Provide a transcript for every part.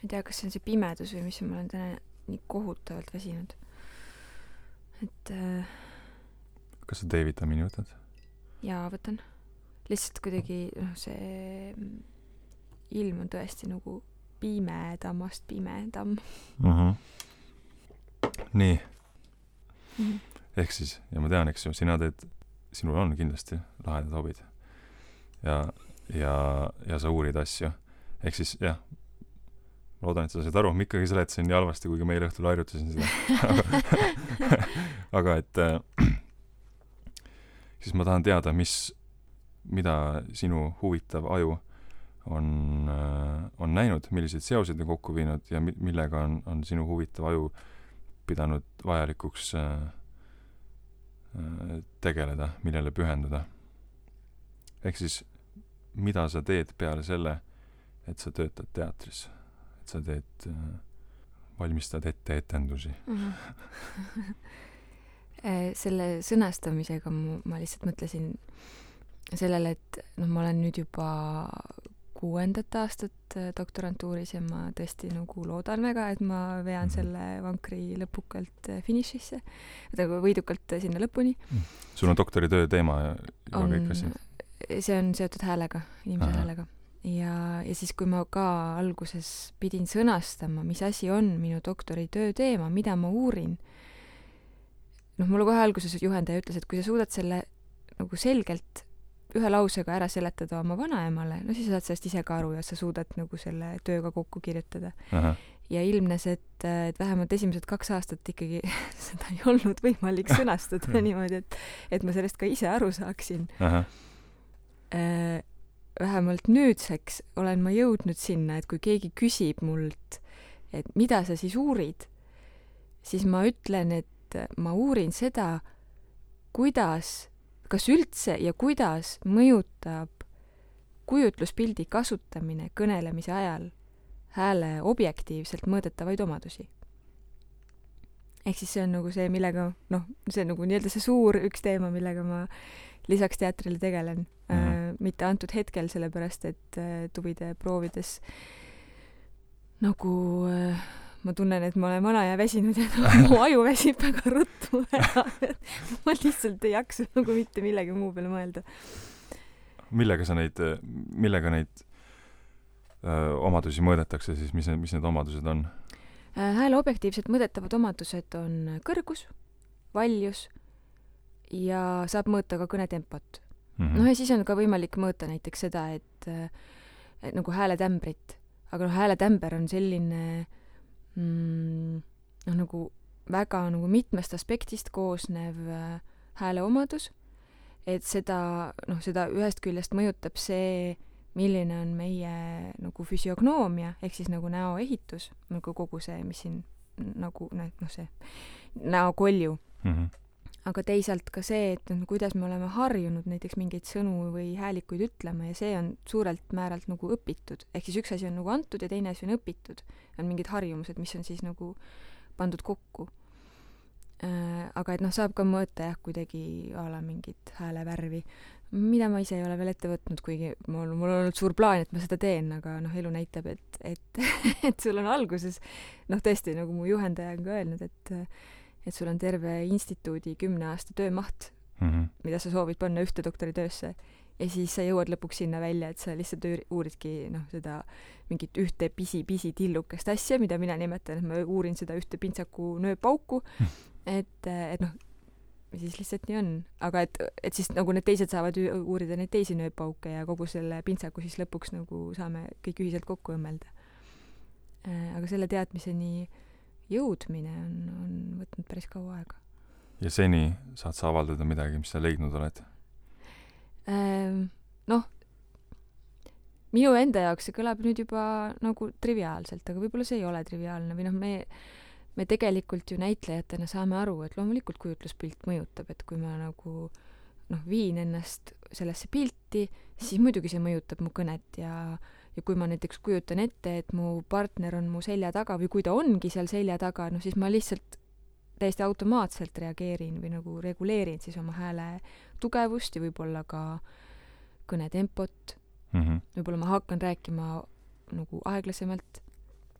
ei tea, kas see on see pimedus või mis, ma olen täna nii kohutavalt väsinud. Et kas sa D-vitamiini võtad? jaa, võtan. Lihtsalt kuidagi see ilm on tõesti nagu pimedamast pimedam. Nii. Ehk siis, ja ma tean, eks ju, sinul on kindlasti lahedad hobid. Ja sa uurid asju. Ehk siis, jah, loodan, et sa said aru, ma ikkagi seletasin nii halvasti, kuigi ma eile õhtul harjutasin seda. Aga et siis ma tahan teada, mida sinu huvitav aju on näinud, milliseid seoseid on kokku viinud ja millega on sinu huvitav aju pidanud vajalikuks tegeleda, millele pühenduda. Ehk siis, mida sa teed peale selle, et sa töötad teatris, et sa valmistad ette etendusi. Selle sõnastamisega ma lihtsalt mõtlesin sellele, et ma olen nüüd juba 6. aastat doktorantuuris ja ma tõesti nagu loodan väga, et ma vean selle vankri lõpukalt finišisse, võidukalt sinna lõpuni. Sul on doktoritöö teema ja kõik asi? See on seotud häälega, inimese häälega. Ja siis, kui ma ka alguses pidin sõnastama, mis asi on minu doktoritöö teema, mida ma uurin, mulle kohe alguses juhendaja ütles, et kui sa suudad selle nagu selgelt ühe lausega ära seletada oma vanaemale, siis saad sellest ise ka aru ja sa suudad nagu selle tööga kokku kirjutada. Ja ilmnes, et vähemalt esimesed 2 aastat ikkagi seda ei olnud võimalik sõnastada niimoodi, et ma sellest ka ise aru saaksin. Vähemalt nüüdseks olen ma jõudnud sinna, et kui keegi küsib mult, et mida sa siis uurid, siis ma ütlen, et ma uurin seda, kas üldse ja kuidas mõjutab kujutluspildi kasutamine kõnelemise ajal hääle objektiivselt mõõdetavaid omadusi. Ehk siis see on nagu see, millega, see on nagu nii-öelda see suur üks teema, millega ma lisaks teatrile tegelen. Mitte antud hetkel, sellepärast, et tuvide proovides nagu ma tunnen, et ma olen vana ja väsinud ja mu aju väsib väga ruttu ära. Ma lihtsalt ei jaksa nagu mitte millegi muu peale mõelda. Millega neid omadusi mõõdetakse siis, mis need omadused on? Hääle objektiivselt mõõdetavad omadused on kõrgus, valjus ja saab mõõta ka kõnetempot. Ja siis on ka võimalik mõõta näiteks seda, et nagu hääletämbrit. Aga hääletämber on selline nagu väga nagu mitmest aspektist koosnev hääle omadus, et seda ühest küljest mõjutab see, milline on meie nagu füsiognoomia, ehk siis nagu näoehitus, nagu kogu see, mis siin nagu see näokolju. Aga teisalt ka see, et kuidas me oleme harjunud näiteks mingeid sõnu või häälikuid ütlema ja see on suurelt määralt nagu õpitud. Ehk siis üks asi on nagu antud ja teine asi on õpitud. On mingid harjumused, mis on siis nagu pandud kokku. Aga et saab ka mõõta kuidagi ala mingit häälevärvi, mida ma ise ei ole veel ette võtnud, kuigi mul on olnud suur plaan, et ma seda teen, aga elu näitab, et sul on alguses, tõesti, nagu mu juhendaja on ka öelnud, et sul on terve instituudi 10 aasta töömaht, mida sa soovid panna ühte doktoritöösse ja siis sa jõuad lõpuks sinna välja, et sa lihtsalt uuridki seda mingit ühte pisi tillukest asja, mida mina nimetan, et ma uurin seda ühte pintsaku nööpauku, et siis lihtsalt nii on. Aga et siis nagu need teised saavad uurida neid teisi nööpauke ja kogu selle pintsaku siis lõpuks nagu saame kõik ühiselt kokku õmmelda. Aga selle teadmiseni jõudmine on võtnud päris kaua aega. Ja seni saad sa avaldada midagi, mis sa leidnud oled? Minu enda jaoks see kõlab nüüd juba nagu triviaalselt, aga võib-olla see ei ole triviaalne või me tegelikult ju näitlejatena saame aru, et loomulikult kujutluspilt mõjutab, et kui ma nagu viin ennast sellesse pilti, siis muidugi see mõjutab mu kõnet ja kui ma näiteks kujutan ette, et mu partner on mu selja taga või kui ta ongi seal selja taga, siis ma lihtsalt täiesti automaatselt reageerin või nagu reguleerin siis oma hääle tugevust ja võib-olla ka kõnetempot. Võib-olla ma hakkan rääkima nagu aeglasemalt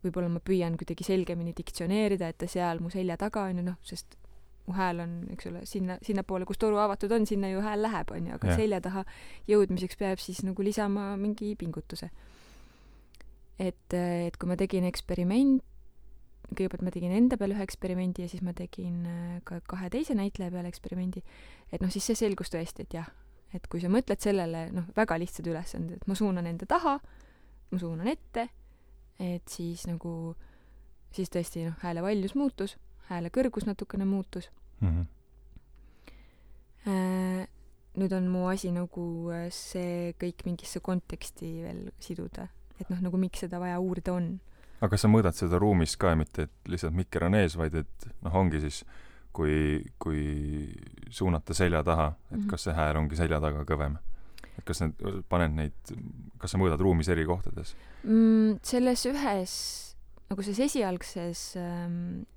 võib-olla ma püüan kuidagi selgemini diktsioneerida, et ta seal mu selja taga on ju, noh, sest mu hääl on, eks ole, sinnapoole, kus toru avatud on, sinna ju hääl läheb, on ju, aga selja taha jõudmiseks peab siis nagu lisama mingi pingutuse. Et kui ma tegin kõigepealt ma tegin enda peal ühe eksperimendi ja siis ma tegin ka 2 teise näitleja peale eksperimendi, et noh, siis see selgus tõesti, et jah, et kui sa mõtled sellele, noh, väga lihtsad ülesanded, et ma suunan enda taha, ma suunan ette, et siis nagu, siis tõesti, noh, hääle valjus muutus, hääle kõrgus natukene muutus. Nüüd on mu asi nagu see kõik mingisse konteksti veel siduda, et noh, nagu miks seda vaja uurida on. Aga kas sa mõõdad seda ruumis ka, mitte et lihtsalt mikker on ees, vaid et noh, ongi siis, kui suunata selja taha, et kas see hääl ongi selja taga kõvem? Et kas kas sa mõõdad ruumis eri kohtades? Selles ühes, nagu selles esialgses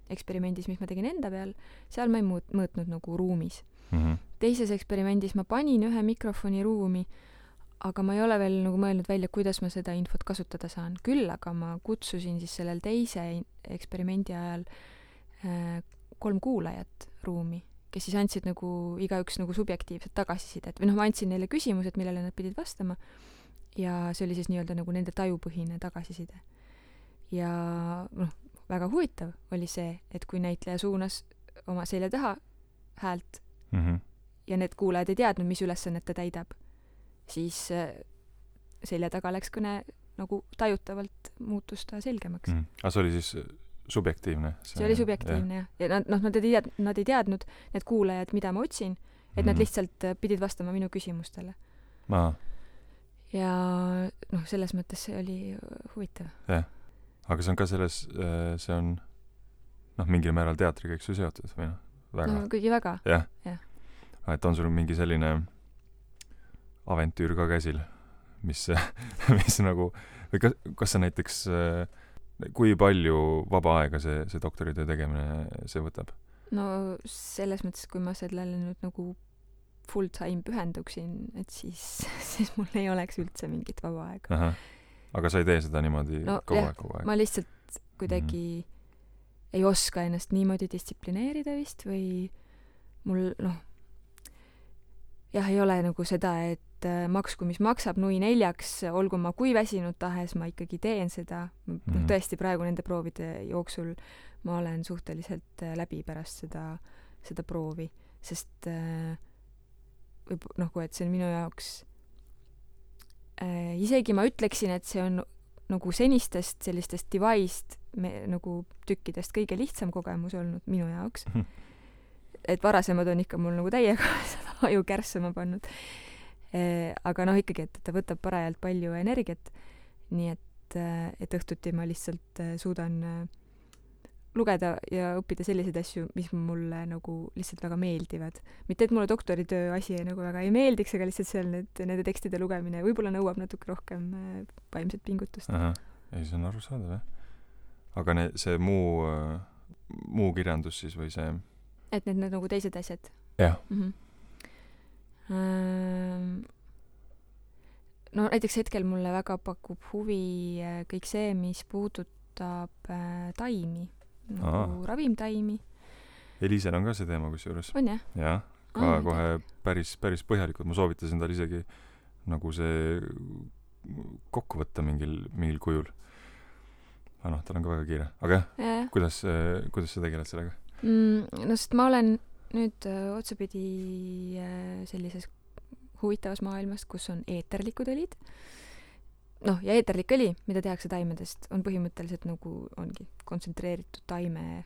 eksperimendis, mis ma tegin enda peal, seal ma ei mõõtnud nagu ruumis. Teises eksperimendis ma panin ühe mikrofoni ruumi, aga ma ei ole veel nagu mõelnud välja, kuidas ma seda infot kasutada saan. Küll aga ma kutsusin siis sellel teise eksperimendi ajal 3 kuulajat ruumi, kes siis andsid nagu igaüks nagu subjektiivset tagasisidet. Või noh, ma andsin neile küsimused, millele nad pidid vastama ja see oli siis nii-öelda nagu nende tajupõhine tagasiside. Ja noh, väga huvitav oli see, et kui näitleja suunas oma selja taha häält ja need kuulajad ei teadnud, mis ülesannet ta täidab, siis selja taga läks kõne nagu tajutavalt muutus ta selgemaks. Aga see oli siis subjektiivne? See oli subjektiivne, jah. Ja nad ei teadnud, need kuulajad, mida ma otsin, et nad lihtsalt pidid vastama minu küsimustele. Ja noh, selles mõttes see oli huvitav. Jah. Aga see on ka see on noh, mingil määral teatriga, eks ju, seotud või noh? Väga. No kuigi väga. Jah. Et on sul mingi selline aventüür ka käsil, mis nagu, või kas sa näiteks, kui palju vaba aega see doktoritöö tegemine see võtab? No selles mõttes, kui ma sellele nüüd nagu full time pühenduksin, et siis mul ei oleks üldse mingit vaba aega. Aga sa ei tee seda niimoodi kogu aeg? Ma lihtsalt kuidagi ei oska ennast niimoodi distsiplineerida vist või mul jah, ei ole nagu seda, et maksku mis maksab, nui 4, olgu ma kui väsinud tahes, ma ikkagi teen seda. Tõesti praegu nende proovide jooksul ma olen suhteliselt läbi pärast seda proovi, sest et see on minu jaoks isegi ma ütleksin, et see on nagu senistest sellistest device'd nagu tükkidest kõige lihtsam kogemus olnud minu jaoks. Et varasemad on ikka mul nagu täiega seda aju kärssama pannud. Aga noh, ikkagi, et ta võtab parajalt palju energiat, nii et õhtuti ma lihtsalt suudan lugeda ja õppida selliseid asju, mis mulle nagu lihtsalt väga meeldivad. Mitte, et mulle doktoritöö asi nagu väga ei meeldiks, aga lihtsalt seal nende tekstide lugemine võib-olla nõuab natuke rohkem vaimset pingutust. Ei, see on arusaadav, jah. Aga see muu kirjandus siis või see? Et need nagu teised asjad? Jah. No näiteks hetkel mulle väga pakub huvi kõik see, mis puudutab taimi, nagu ravimtaimi. Elisel on ka see teema kusjuures. On jah? Jah, ka kohe päris põhjalikult. Ma soovitasin tal isegi nagu see kokku võtta mingil kujul. Aga noh, tal on ka väga kiire. Aga jah, kuidas sa tegeled sellega? No sest ma olen nüüd otsapidi sellises huvitavas maailmas, kus on eeterlikud õlid. Noh, ja eeterlik õli, mida tehakse taimedest, on põhimõtteliselt nagu ongi kontsentreeritud taime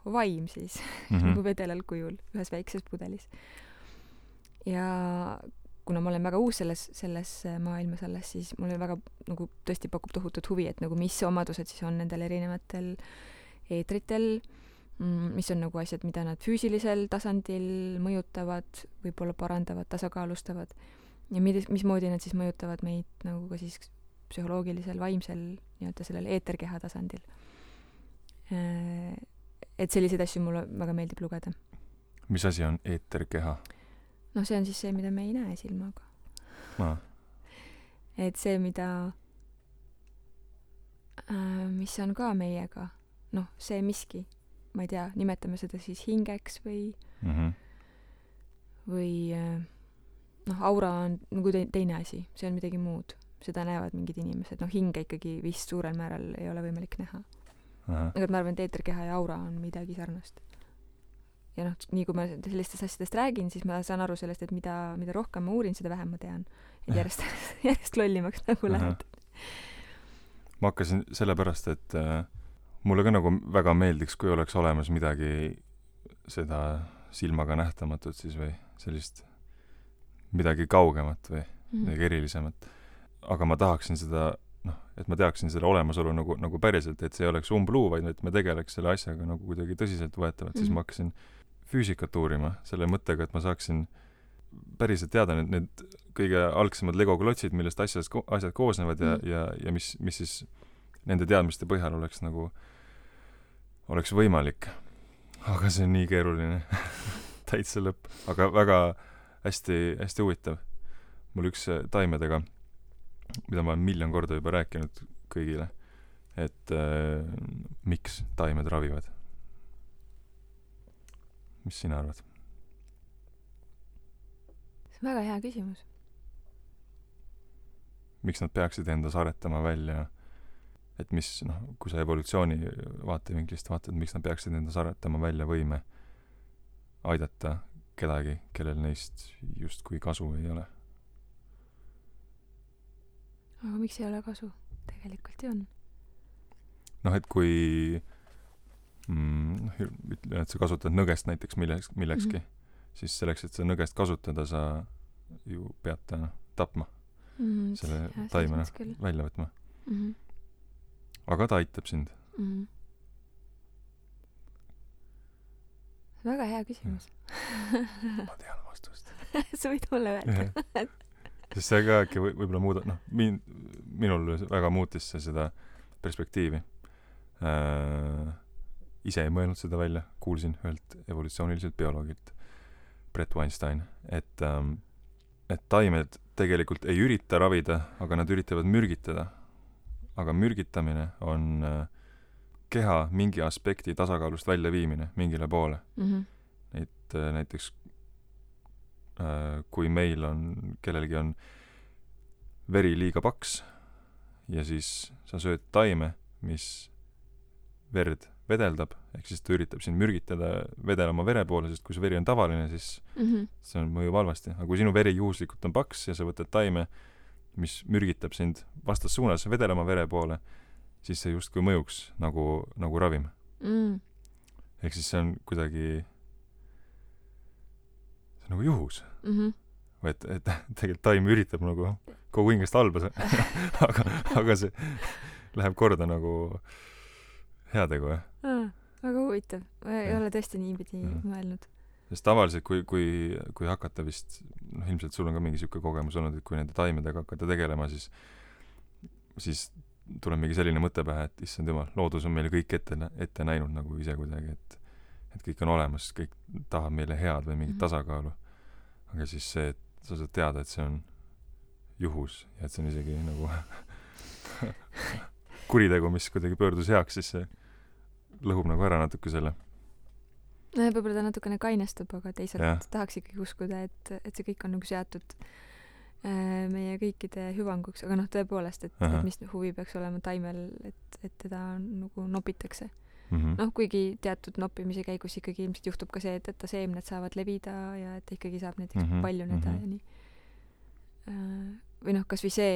vaim siis, nagu vedelal kujul ühes väikses pudelis. Ja kuna ma olen väga uus selles maailmas alles, siis mulle väga nagu tõesti pakub tohutut huvi, et nagu mis omadused siis on nendel erinevatel eetritel, mis on nagu asjad, mida nad füüsilisel tasandil mõjutavad, võib-olla parandavad, tasakaalustavad ja mismoodi nad siis mõjutavad meid nagu ka siis psühholoogilisel, vaimsel nii-öelda sellel eeterkeha tasandil. Et selliseid asju mulle väga meeldib lugeda. Mis asi on eeterkeha? No see on siis see, mida me ei näe silmaga. Et see, mida mis on ka meiega, noh, see miski, ma ei tea, nimetame seda siis hingeks või noh, aura on nagu teine asi, see on midagi muud. Seda näevad mingid inimesed, noh, hinge ikkagi vist suurel määral ei ole võimalik näha. Aga ma arvan, et eeterkeha ja aura on midagi sarnast. Ja noh, nii kui ma sellistest asjadest räägin, siis ma saan aru sellest, et mida rohkem ma uurin, seda vähem ma tean. Et järjest lollimaks nagu lähed. Ma hakkasin sellepärast, et mulle ka nagu väga meeldiks, kui oleks olemas midagi seda silmaga nähtamatut siis või sellist midagi kaugemat või midagi erilisemat. Aga ma tahaksin seda, noh, et ma teaksin selle olemasolu nagu päriselt, et see ei oleks umbluu, vaid et me tegeleks selle asjaga nagu kuidagi tõsiselt võetavalt, siis ma hakkasin füüsikat uurima selle mõttega, et ma saaksin päriselt teada need kõige algsemad Lego-klotsid, millest asjad koosnevad ja mis siis nende teadmiste põhjal oleks võimalik. Aga see on nii keeruline. Täitsa lõpp. Aga väga hästi, hästi huvitav. Mul üks taimedega, mida ma olen 1,000,000 korda juba rääkinud kõigile, et miks taimed ravivad. Mis sina arvad? See on väga hea küsimus. Miks nad peaksid endas aretama välja, et mis, noh, kui sa evolutsiooni vaatevinklist vaatad, miks nad peaksid endas aretama välja võime aidata kedagi, kellel neist justkui kasu ei ole? Aga miks ei ole kasu? Tegelikult ju on. Noh, et kui ütlen, et sa kasutad nõgest näiteks millekski, siis selleks, et sa nõgest kasutada, sa ju pead ta tapma. Selle taimena välja võtma. Aga ta aitab sind. Väga hea küsimus. Ma tean vastust. Sa võid mulle öelda. Sest see ka äkki võib-olla muudab, noh, minul väga muutis see seda perspektiivi. Ise ei mõelnud seda välja, kuulsin ühelt evolutsiooniliselt bioloogilt, Brett Weinstein, et taimed tegelikult ei ürita ravida, aga nad üritavad mürgitada. Aga mürgitamine on keha mingi aspekti tasakaalust välja viimine mingile poole. Et näiteks kui meil kellelgi on veri liiga paks ja siis sa sööd taime, mis verd vedeldab, ehk siis ta üritab sind mürgitada vedelama vere poole, sest kui see veri on tavaline, siis see on mõjub halvasti. Aga kui sinu veri juhuslikult on paks ja sa võtad taime, mis mürgitab sind vastassuunas vedelama vere poole, siis see justkui mõjuks nagu ravim. Ehk siis see on kuidagi see on nagu juhus. Või et tegelikult taim üritab nagu kogu hingest halba aga see läheb korda nagu heategu, jah? Väga huvitav. Ei ole tõesti niipidi mõelnud. Sest tavaliselt, kui hakata vist, noh, ilmselt sul on ka mingi siuke kogemus olnud, et kui nende taimedega hakata tegelema, siis tuleb mingi selline mõte pähe, et issand jumal, loodus on meile kõik ette näinud nagu ise kuidagi, et kõik on olemas, kõik tahab meile head või mingit tasakaalu. Aga siis see, et sa saad teada, et see on juhus ja et see on isegi nagu kuritegu, mis kuidagi pöördus heaks, siis see lõhub nagu ära natuke selle. No võib-olla ta natukene kainestub, aga teisalt tahaks ikkagi uskuda, et see kõik on nagu seatud meie kõikide hüvanguks. Aga noh, tõepoolest, et mis huvi peaks olema taimel, et teda nagu nopitakse. Noh, kuigi teatud noppimise käigus ikkagi ilmselt juhtub ka see, et ta seemned saavad levida ja et ta ikkagi saab näiteks paljuneda ja nii. Või noh, kas või see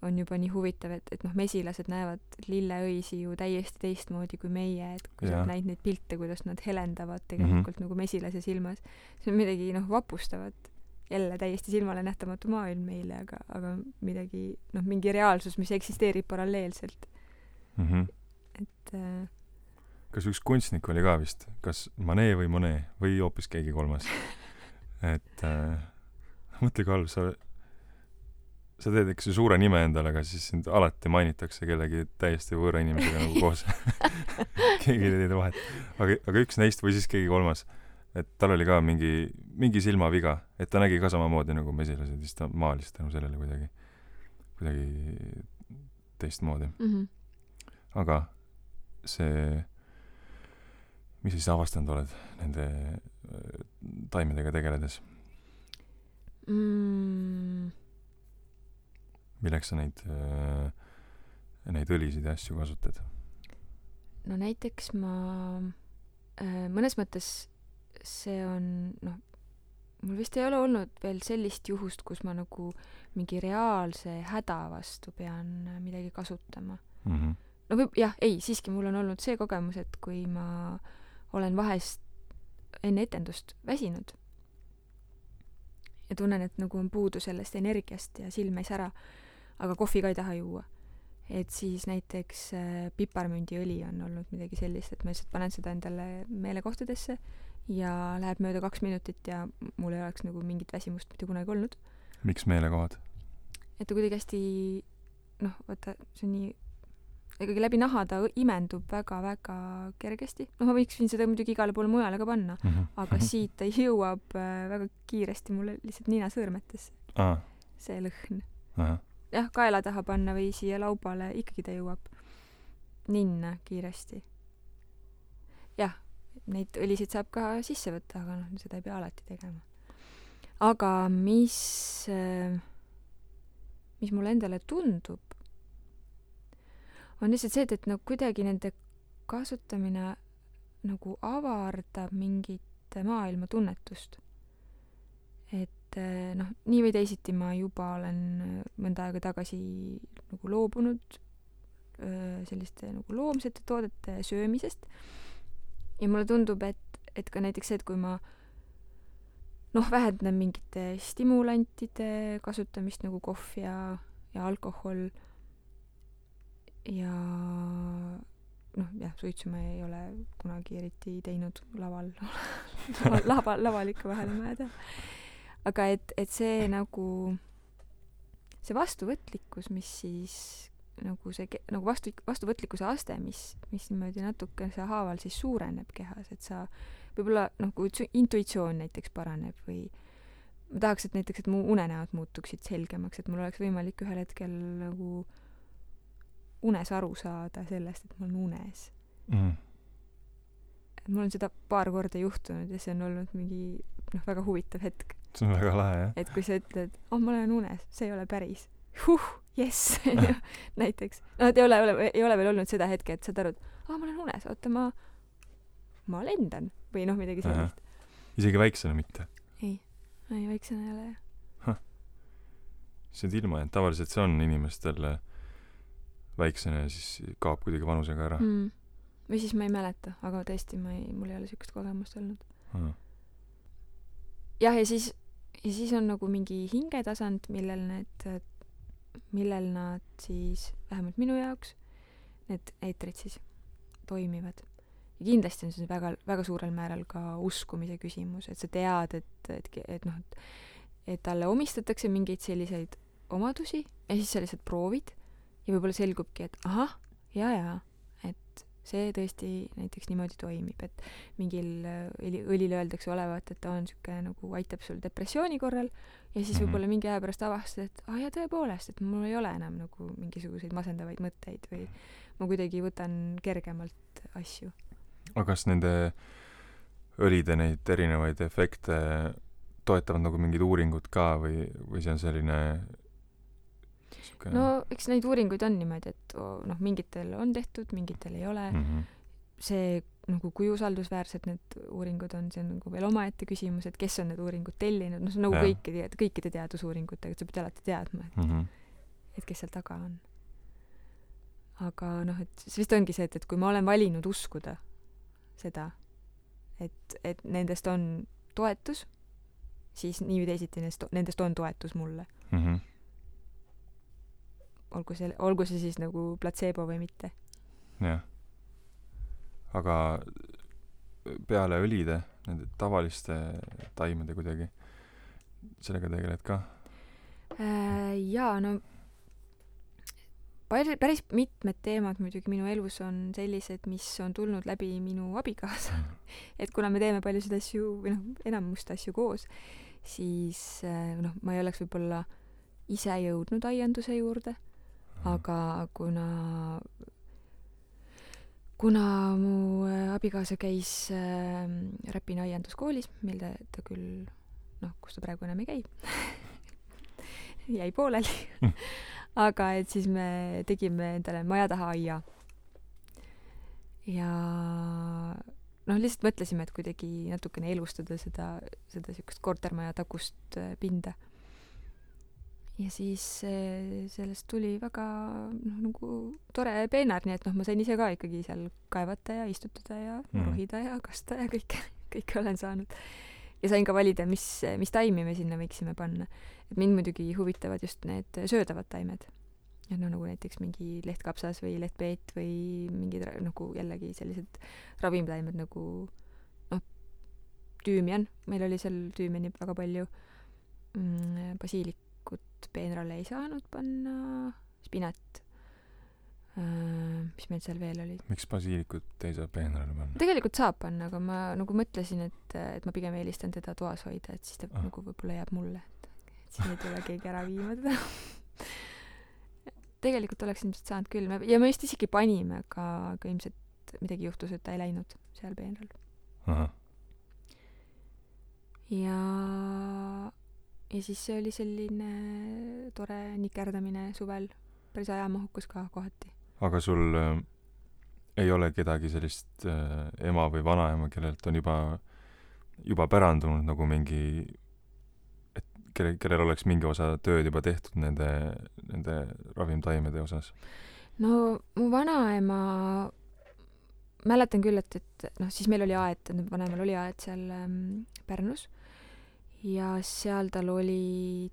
on juba nii huvitav, et noh, mesilased näevad lilleõisi ju täiesti teistmoodi kui meie, et kui sa näid neid pilte, kuidas nad helendavad tegelikult nagu mesilase silmas. See on midagi, noh, vapustavat. Jälle täiesti silmale nähtamatu maailm meile, aga midagi, noh, mingi reaalsus, mis eksisteerib paralleelselt. Et kas üks kunstnik oli ka vist, kas Manet või Monet või hoopis keegi kolmas, et mõtle kui halb, sa teed ikka suure nime endale, aga siis sind alati mainitakse kellegi täiesti võõra inimesega nagu koos. Keegi ei tee vahet. Aga üks neist või siis keegi kolmas, et tal oli ka mingi silmaviga, et ta nägi ka samamoodi nagu mesilased, siis ta maalis tänu sellele kuidagi teistmoodi. aga see, mis sa siis avastanud oled nende taimedega tegeledes? Milleks sa neid õlisid ja asju kasutad? No näiteks ma mõnes mõttes see on, mul vist ei ole olnud veel sellist juhust, kus ma nagu mingi reaalse häda vastu pean midagi kasutama. No siiski mul on olnud see kogemus, et kui ma olen vahest enne etendust väsinud ja tunnen, et nagu on puudu sellest energiast ja silm ei sära, aga kohvi ka ei taha juua. Et siis näiteks piparmündiõli on olnud midagi sellist, et ma lihtsalt panen seda endale meelekohtadesse ja läheb mööda 2 minutit ja mul ei oleks nagu mingit väsimust mitte kunagi olnud. Miks meelekohad? Et ta kuidagi hästi, vaata, see on nii, ikkagi läbi naha ta imendub väga-väga kergesti. Ma võiksin seda muidugi igale poole mujale ka panna, aga siit ta jõuab väga kiiresti mulle lihtsalt ninasõõrmetesse. See lõhn. Jah, kaela taha panna või siia laubale, ikkagi ta jõuab ninna kiiresti. Jah, neid õlisid saab ka sisse võtta, aga seda ei pea alati tegema. Aga mis mulle endale tundub, on lihtsalt see, et kuidagi nende kasutamine nagu avardab mingit maailma tunnetust. Et nii või teisiti ma juba olen mõnda aega tagasi nagu loobunud selliste nagu loomsete toodete söömisest. Ja mulle tundub, et ka näiteks see, et kui ma vähendan mingite stimulantide kasutamist nagu kohv ja alkohol ja suitsu ma ei ole kunagi eriti teinud laval ikka vahel on vaja teha. Aga et see nagu see vastuvõtlikkus, mis siis nagu see nagu vastuvõtlikkuse aste, mis niimoodi natuke see haaval siis suureneb kehas, et sa võib-olla kui intuitsioon näiteks paraneb või ma tahaks, et mu unenäod muutuksid selgemaks, et mul oleks võimalik ühel hetkel nagu unes aru saada sellest, et ma olen unes. Mul on seda paar korda juhtunud ja see on olnud mingi väga huvitav hetk. See on väga lahe, jah? Et kui sa ütled, ma olen unes, see ei ole päris. Jess! Näiteks. Et ei ole veel olnud seda hetke, et saad aru, et ma olen unes, oota, ma lendan. Või midagi sellist. Isegi väiksena mitte? Ei, väiksena ei ole, jah. See on ilma, et tavaliselt see on inimestel väiksena ja siis kaob kuidagi vanusega ära. Või siis ma ei mäleta, aga tõesti mul ei ole sellist kogemust olnud. Jah, ja siis on nagu mingi hingetasand, millel nad siis, vähemalt minu jaoks, need eetrid siis toimivad. Ja kindlasti on see väga, väga suurel määral ka uskumise küsimus, et sa tead, et talle omistatakse mingeid selliseid omadusi ja siis sa lihtsalt proovid ja võib-olla selgubki, et ahah, et see tõesti näiteks niimoodi toimib, et mingil õlil öeldakse olevat, et ta on siuke nagu aitab sul depressiooni korral ja siis võib-olla mingi aja pärast avastad, et ja tõepoolest, et mul ei ole enam nagu mingisuguseid masendavaid mõtteid või ma kuidagi võtan kergemalt asju. Aga kas nende õlide neid erinevaid efekte toetavad nagu mingid uuringud ka või see on selline No, eks neid uuringuid on niimoodi, et mingitel on tehtud, mingitel ei ole. See, kui usaldusväärsed need uuringud on, see on nagu veel omaette küsimus, et kes on need uuringud tellinud. See on nagu kõikide teadusuuringutega, et sa pead alati teadma, et kes seal taga on. Aga et see vist ongi see, et kui ma olen valinud uskuda seda, et nendest on toetus, siis nii või teisiti nendest on toetus mulle. Olgu see siis nagu platseebo või mitte. Jah. Aga peale õlide, nende tavaliste taimede kuidagi, sellega tegeled ka? Jaa, päris mitmed teemad muidugi minu elus on sellised, mis on tulnud läbi minu abikaasa. Et kuna me teeme paljusid asju, või enamust asju koos, siis ma ei oleks võib-olla ise jõudnud aianduse juurde. Aga kuna kuna mu abikaasa käis Räpina aianduskoolis, mille ta küll, kus ta praegu enam ei käi jäi pooleli aga et siis me tegime endale maja taha aia. Ja lihtsalt mõtlesime, et kuidagi natukene elustada seda siukest kortermaja takust pinda. Ja siis sellest tuli väga nagu tore peenar, nii et ma sain ise ka ikkagi seal kaevata ja istutada ja rohida ja kasta ja kõike olen saanud. Ja sain ka valida, mis taimi me sinna võiksime panna. Et mind muidugi huvitavad just need söödavad taimed. Ja nagu näiteks mingi lehtkapsas või lehtpeet või mingid nagu jällegi sellised ravimtaimed nagu tüümian. Meil oli seal tüümiani väga palju. Basiilikut peenrale ei saanud panna. Spinat. Mis meil seal veel oli? Miks basiilikut ei saa peenrale panna? Tegelikult saab panna, aga ma nagu mõtlesin, et ma pigem eelistan teda toas hoida, et siis ta nagu võib-olla jääb mulle. Et siin ei tule keegi ära viima teda. Tegelikult oleks ilmselt saanud küll. Ja me just isegi panime, aga ilmselt midagi juhtus, et ta ei läinud seal peenral. Aha. Ja siis see oli selline tore nikerdamine suvel. Päris ajamahukus ka kohati. Aga sul ei ole kedagi sellist ema või vanaema, kellelt on juba pärandunud nagu mingi kellel oleks mingi osa tööd juba tehtud nende ravimtaimede osas? No mu vanaema mäletan küll, et siis meil oli aed, vanemal oli aed seal Pärnus ja seal tal oli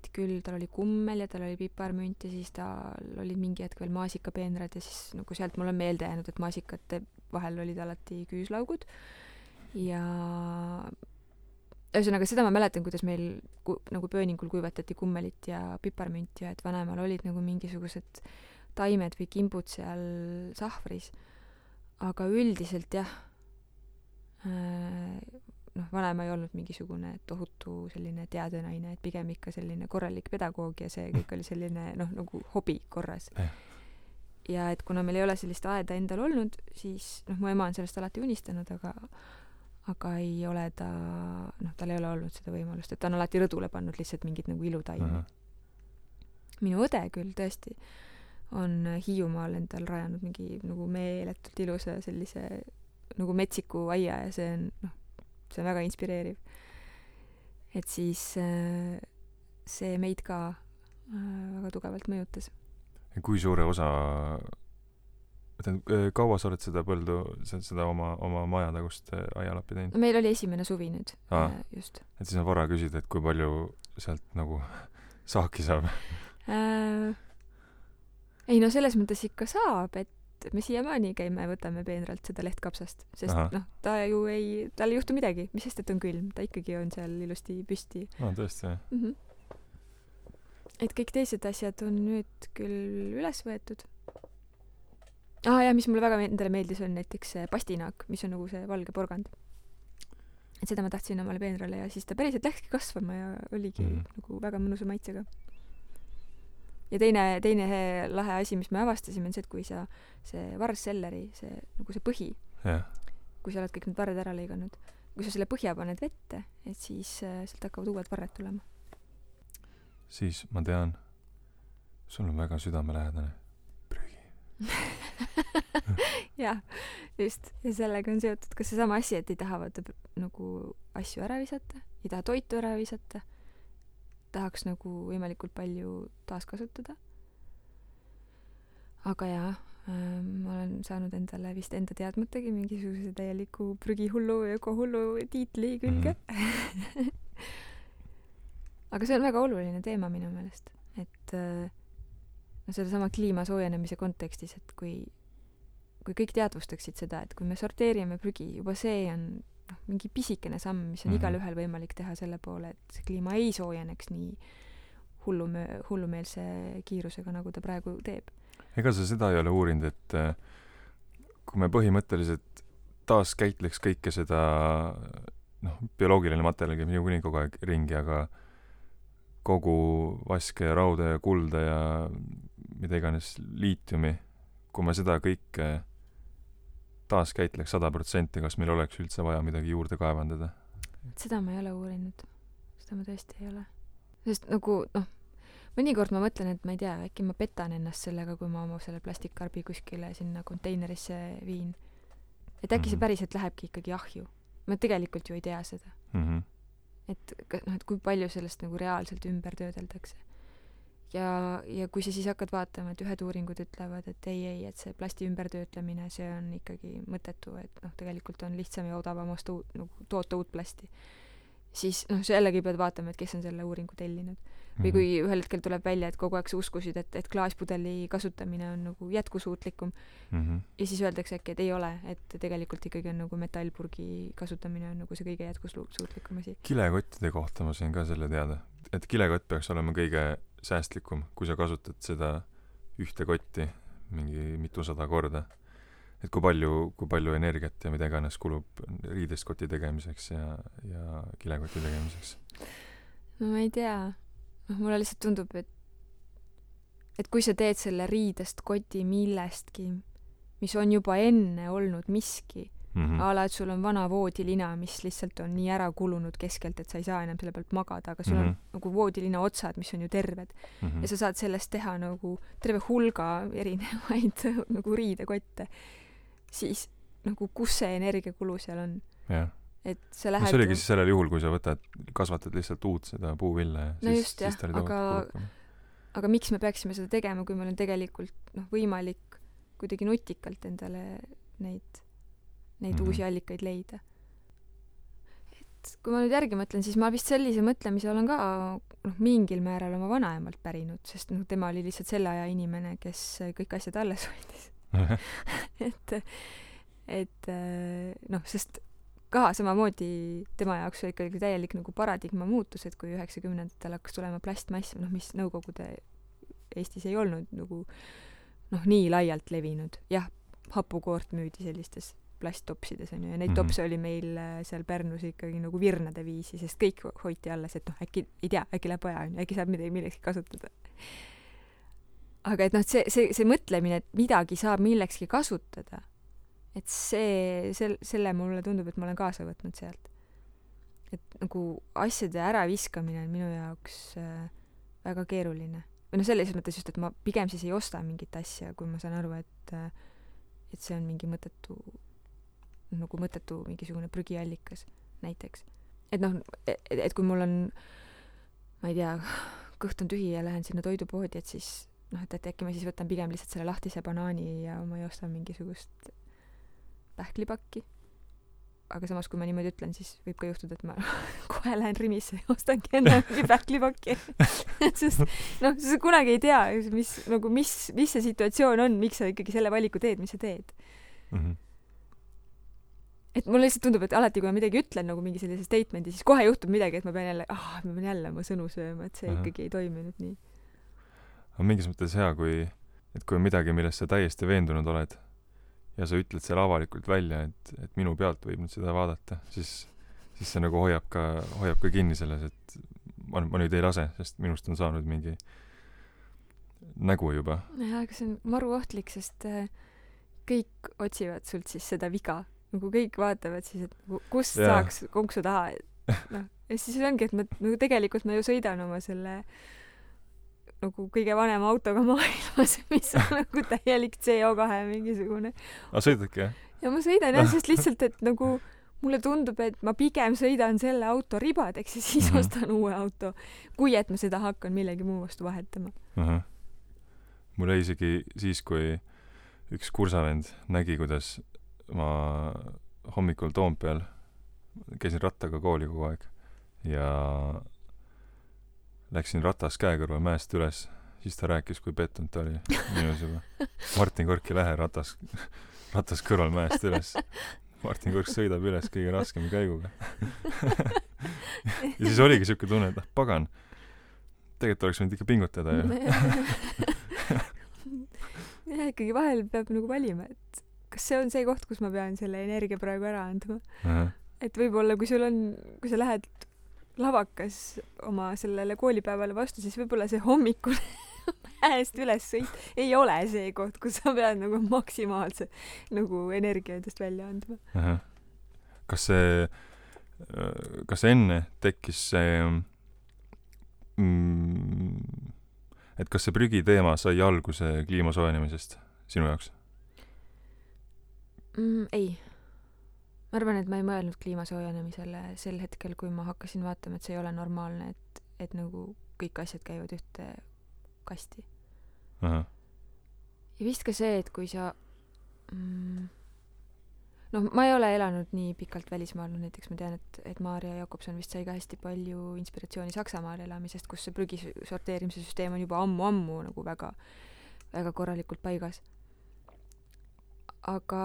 kummel ja tal oli piparmünt ja siis tal olid mingi hetk veel maasikapeenrad ja siis nagu sealt mul on meelde jäänud, et maasikate vahel olid alati küüslaugud ja ühesõnaga, seda ma mäletan, kuidas meil nagu pööningul kuivatati kummelit ja piparmünt ja et vanemal olid nagu mingisugused taimed või kimbud seal sahvris. Aga üldiselt jah, vanem ei olnud mingisugune tohutu selline teadenaine, et pigem ikka selline korralik pedagoog ja see kõik oli selline nagu hobi korras. Ja et kuna meil ei ole sellist aeda endal olnud, siis mu ema on sellest alati unistanud, aga ei ole tal ei ole olnud seda võimalust, et ta on alati rõdule pannud lihtsalt mingid nagu ilutaimi. Minu õde küll tõesti on Hiiumaal endal rajanud mingi nagu meeletult ilusa sellise nagu metsiku aia ja see on väga inspireeriv. Et siis see meid ka väga tugevalt mõjutas. Kui suure osa kaua sa oled seda põldu, seda oma majatagust aialappi teinud? Meil oli esimene suvi nüüd. Just. Et siis on vara küsida, et kui palju sealt nagu saaki saab? Ei selles mõttes ikka saab, et me siiamaani käime ja võtame peenralt seda lehtkapsast, sest tal ei juhtu midagi, mis sest, et on külm, ta ikkagi on seal ilusti püsti. Tõesti, jah. Et kõik teised asjad on nüüd küll üles võetud. Ja mis mulle väga endale meeldis on näiteks pastinaak, mis on nagu see valge porgand. Et seda ma tahtsin omale peenrale ja siis ta päriselt läkski kasvama ja oligi nagu väga mõnusa maitsega. Ja teine lahe asi, mis me avastasime, on see, et kui sa see varsselleri, nagu see põhi, kui sa oled kõik need varred ära lõiganud, kui sa selle põhja paned vette, et siis sealt hakkavad uued varred tulema. Siis ma tean, sul on väga südamelähedane prügi. Jah, just. Ja sellega on seotud ka seesama asi, et ei taha nagu asju ära visata, ei taha toitu ära visata, tahaks nagu võimalikult palju taaskasutada. Aga jaa, ma olen saanud endale vist enda teadmatagi mingisuguse täieliku prügihullu ja ökohullu tiitli külge. Aga see on väga oluline teema minu meelest, et sedasama kliima soojenemise kontekstis, et kui kõik teadvustaksid seda, et kui me sorteerime prügi, juba see on mingi pisikene samm, mis on igal ühel võimalik teha selle poole, et see kliima ei soojeneks nii hullumeelse kiirusega, nagu ta praegu teeb. Ega sa seda ei ole uurinud, et kui me põhimõtteliselt taaskäitleks kõike seda bioloogiline materjal käib niikuinii kogu aeg ringi, aga kogu vaske ja rauda ja kulda ja mida iganes liitiumi, kui me seda kõike taaskäitleks 100%, kas meil oleks üldse vaja midagi juurde kaevandada? Seda ma ei ole uurinud. Seda ma tõesti ei ole. Sest nagu, mõnikord ma mõtlen, et ma ei tea, äkki ma petan ennast sellega, kui ma oma selle plastikkarbi kuskile sinna konteinerisse viin. Et äkki see päriselt lähebki ikkagi ahju. Ma tegelikult ju ei tea seda. Et kui palju sellest nagu reaalselt ümber töödeldakse. Ja kui sa siis hakkad vaatama, et ühed uuringud ütlevad, et ei, et see plasti ümbertöötlemine, see on ikkagi mõttetu, et tegelikult on lihtsam ja odavam toota uut plasti. Siis see jällegi pead vaatama, et kes on selle uuringu tellinud. Või kui ühel hetkel tuleb välja, et kogu aeg sa uskusid, et klaaspudeli kasutamine on nagu jätkusuutlikum ja siis öeldakse äkki, et ei ole, et tegelikult ikkagi on nagu metallpurgi kasutamine on nagu see kõige jätkusuutlikum asi. Kilekottide kohta ma sain ka selle teada, et kilekott peaks olema kõige säästlikum, kui sa kasutad seda ühte kotti mingi mitusada korda. Et kui palju energiat ja mida iganes kulub riidest koti tegemiseks ja kilekoti tegemiseks? No ma ei tea. Mulle lihtsalt tundub, et kui sa teed selle riidest koti millestki, mis on juba enne olnud miski, ala, et sul on vana voodilina, mis lihtsalt on nii ära kulunud keskelt, et sa ei saa enam selle pealt magada, aga sul on nagu voodilina otsad, mis on ju terved. Ja sa saad sellest teha nagu terve hulga erinevaid nagu riidekotte. Siis nagu kus see energiakulu seal on? Jah. Et sa lähed... See oligi siis sellel juhul, kui sa kasvatad lihtsalt uut seda puuvilla ja no just, jah, aga miks me peaksime seda tegema, kui meil on tegelikult võimalik kuidagi nutikalt endale neid uusi allikaid leida. Et kui ma nüüd järgi mõtlen, siis ma vist sellise mõtlemise olen ka mingil määral oma vanaemalt pärinud, sest tema oli lihtsalt selle aja inimene, kes kõik asjad alles hoidis. Sest ka samamoodi tema jaoks oli ikkagi täielik nagu paradigma muutus, et kui 90-ndatel hakkas tulema plastmass, mis Nõukogude Eestis ei olnud nagu nii laialt levinud. Jah, hapukoort müüdi sellistes plasttopsides on ju, ja neid topse oli meil seal Pärnus ikkagi nagu virnade viisi, sest kõik hoiti alles, et äkki, ei tea, äkki läheb vaja, äkki saab millekski kasutada. Aga et see mõtlemine, et midagi saab millekski kasutada, et selle mulle tundub, et ma olen kaasa võtnud sealt. Et nagu asjade äraviskamine on minu jaoks väga keeruline. Või selles mõttes just, et ma pigem siis ei osta mingit asja, kui ma saan aru, et see on mingi mõttetu mingisugune prügiallikas näiteks. Et kui mul on, ma ei tea, kõht on tühi ja lähen sinna toidupoodi, et siis et äkki ma siis võtan pigem lihtsalt selle lahtise banaani ja ma ei osta mingisugust pähklipakki. Aga samas, kui ma niimoodi ütlen, siis võib ka juhtuda, et ma kohe lähen Rimisse ja ostangi enne mingi pähklipakki. Sest sa kunagi ei tea, mis see situatsioon on, miks sa ikkagi selle valiku teed, mis sa teed. Et mulle lihtsalt tundub, et alati, kui ma midagi ütlen nagu mingi sellise statemendi, siis kohe juhtub midagi, et ma pean jälle oma sõnu sööma, et see ikkagi ei toiminud nii. On mingis mõttes hea, kui on midagi, millest sa täiesti veendunud oled ja sa ütled selle avalikult välja, et minu pealt võib nüüd seda vaadata, siis see nagu hoiab ka kinni selles, et ma nüüd ei lase, sest minust on saanud mingi nägu juba. Jah, aga see on maru ohtlik, sest kõik otsivad sult siis seda viga. Nagu kõik vaatavad siis, et kust saaks konksu taha. Ja siis ongi, et tegelikult ma ju sõidan oma selle nagu kõige vanema autoga maailmas, mis on nagu täielik CO2 mingisugune. Sõidadki, jah? Ja ma sõidan sest lihtsalt, et nagu mulle tundub, et ma pigem sõidan selle auto ribadeks ja siis ostan uue auto, kui et ma seda hakkan millegi muu vastu vahetama. Mul jäi isegi siis, kui üks kursavend nägi, kuidas ma hommikul Toompeal käisin rattaga kooli kogu aeg ja läksin ratas käe kõrval mäest üles, siis ta rääkis, kui pettunud ta oli minus juba. Martin Kork ei lähe ratas kõrval mäest üles. Martin Kork sõidab üles kõige raskema käiguga. Ja siis oligi siuke tunne, et pagan, tegelikult oleks võinud ikka pingutada. Ja ikkagi vahel peab nagu valima, et kas see on see koht, kus ma pean selle energia praegu ära andma. Et võib-olla, kui sa lähed lavakas oma sellele koolipäevale vastu, siis võib-olla see hommikul mäest üles sõit ei ole see koht, kus sa pead nagu maksimaalse nagu energia endast välja andma. kas enne tekkis see et kas see prügiteema sai alguse kliima soojenemisest sinu jaoks? Ei. Ma arvan, et ma ei mõelnud kliima soojenemisele sel hetkel, kui ma hakkasin vaatama, et see ei ole normaalne, et nagu kõik asjad käivad ühte kasti. Ja vist ka see, et kui sa ma ei ole elanud nii pikalt välismaal, näiteks ma tean, et Maarja Jakobson vist sai ka hästi palju inspiratsiooni Saksamaal elamisest, kus see prügi sorteerimise süsteem on juba ammu nagu väga, väga korralikult paigas. Aga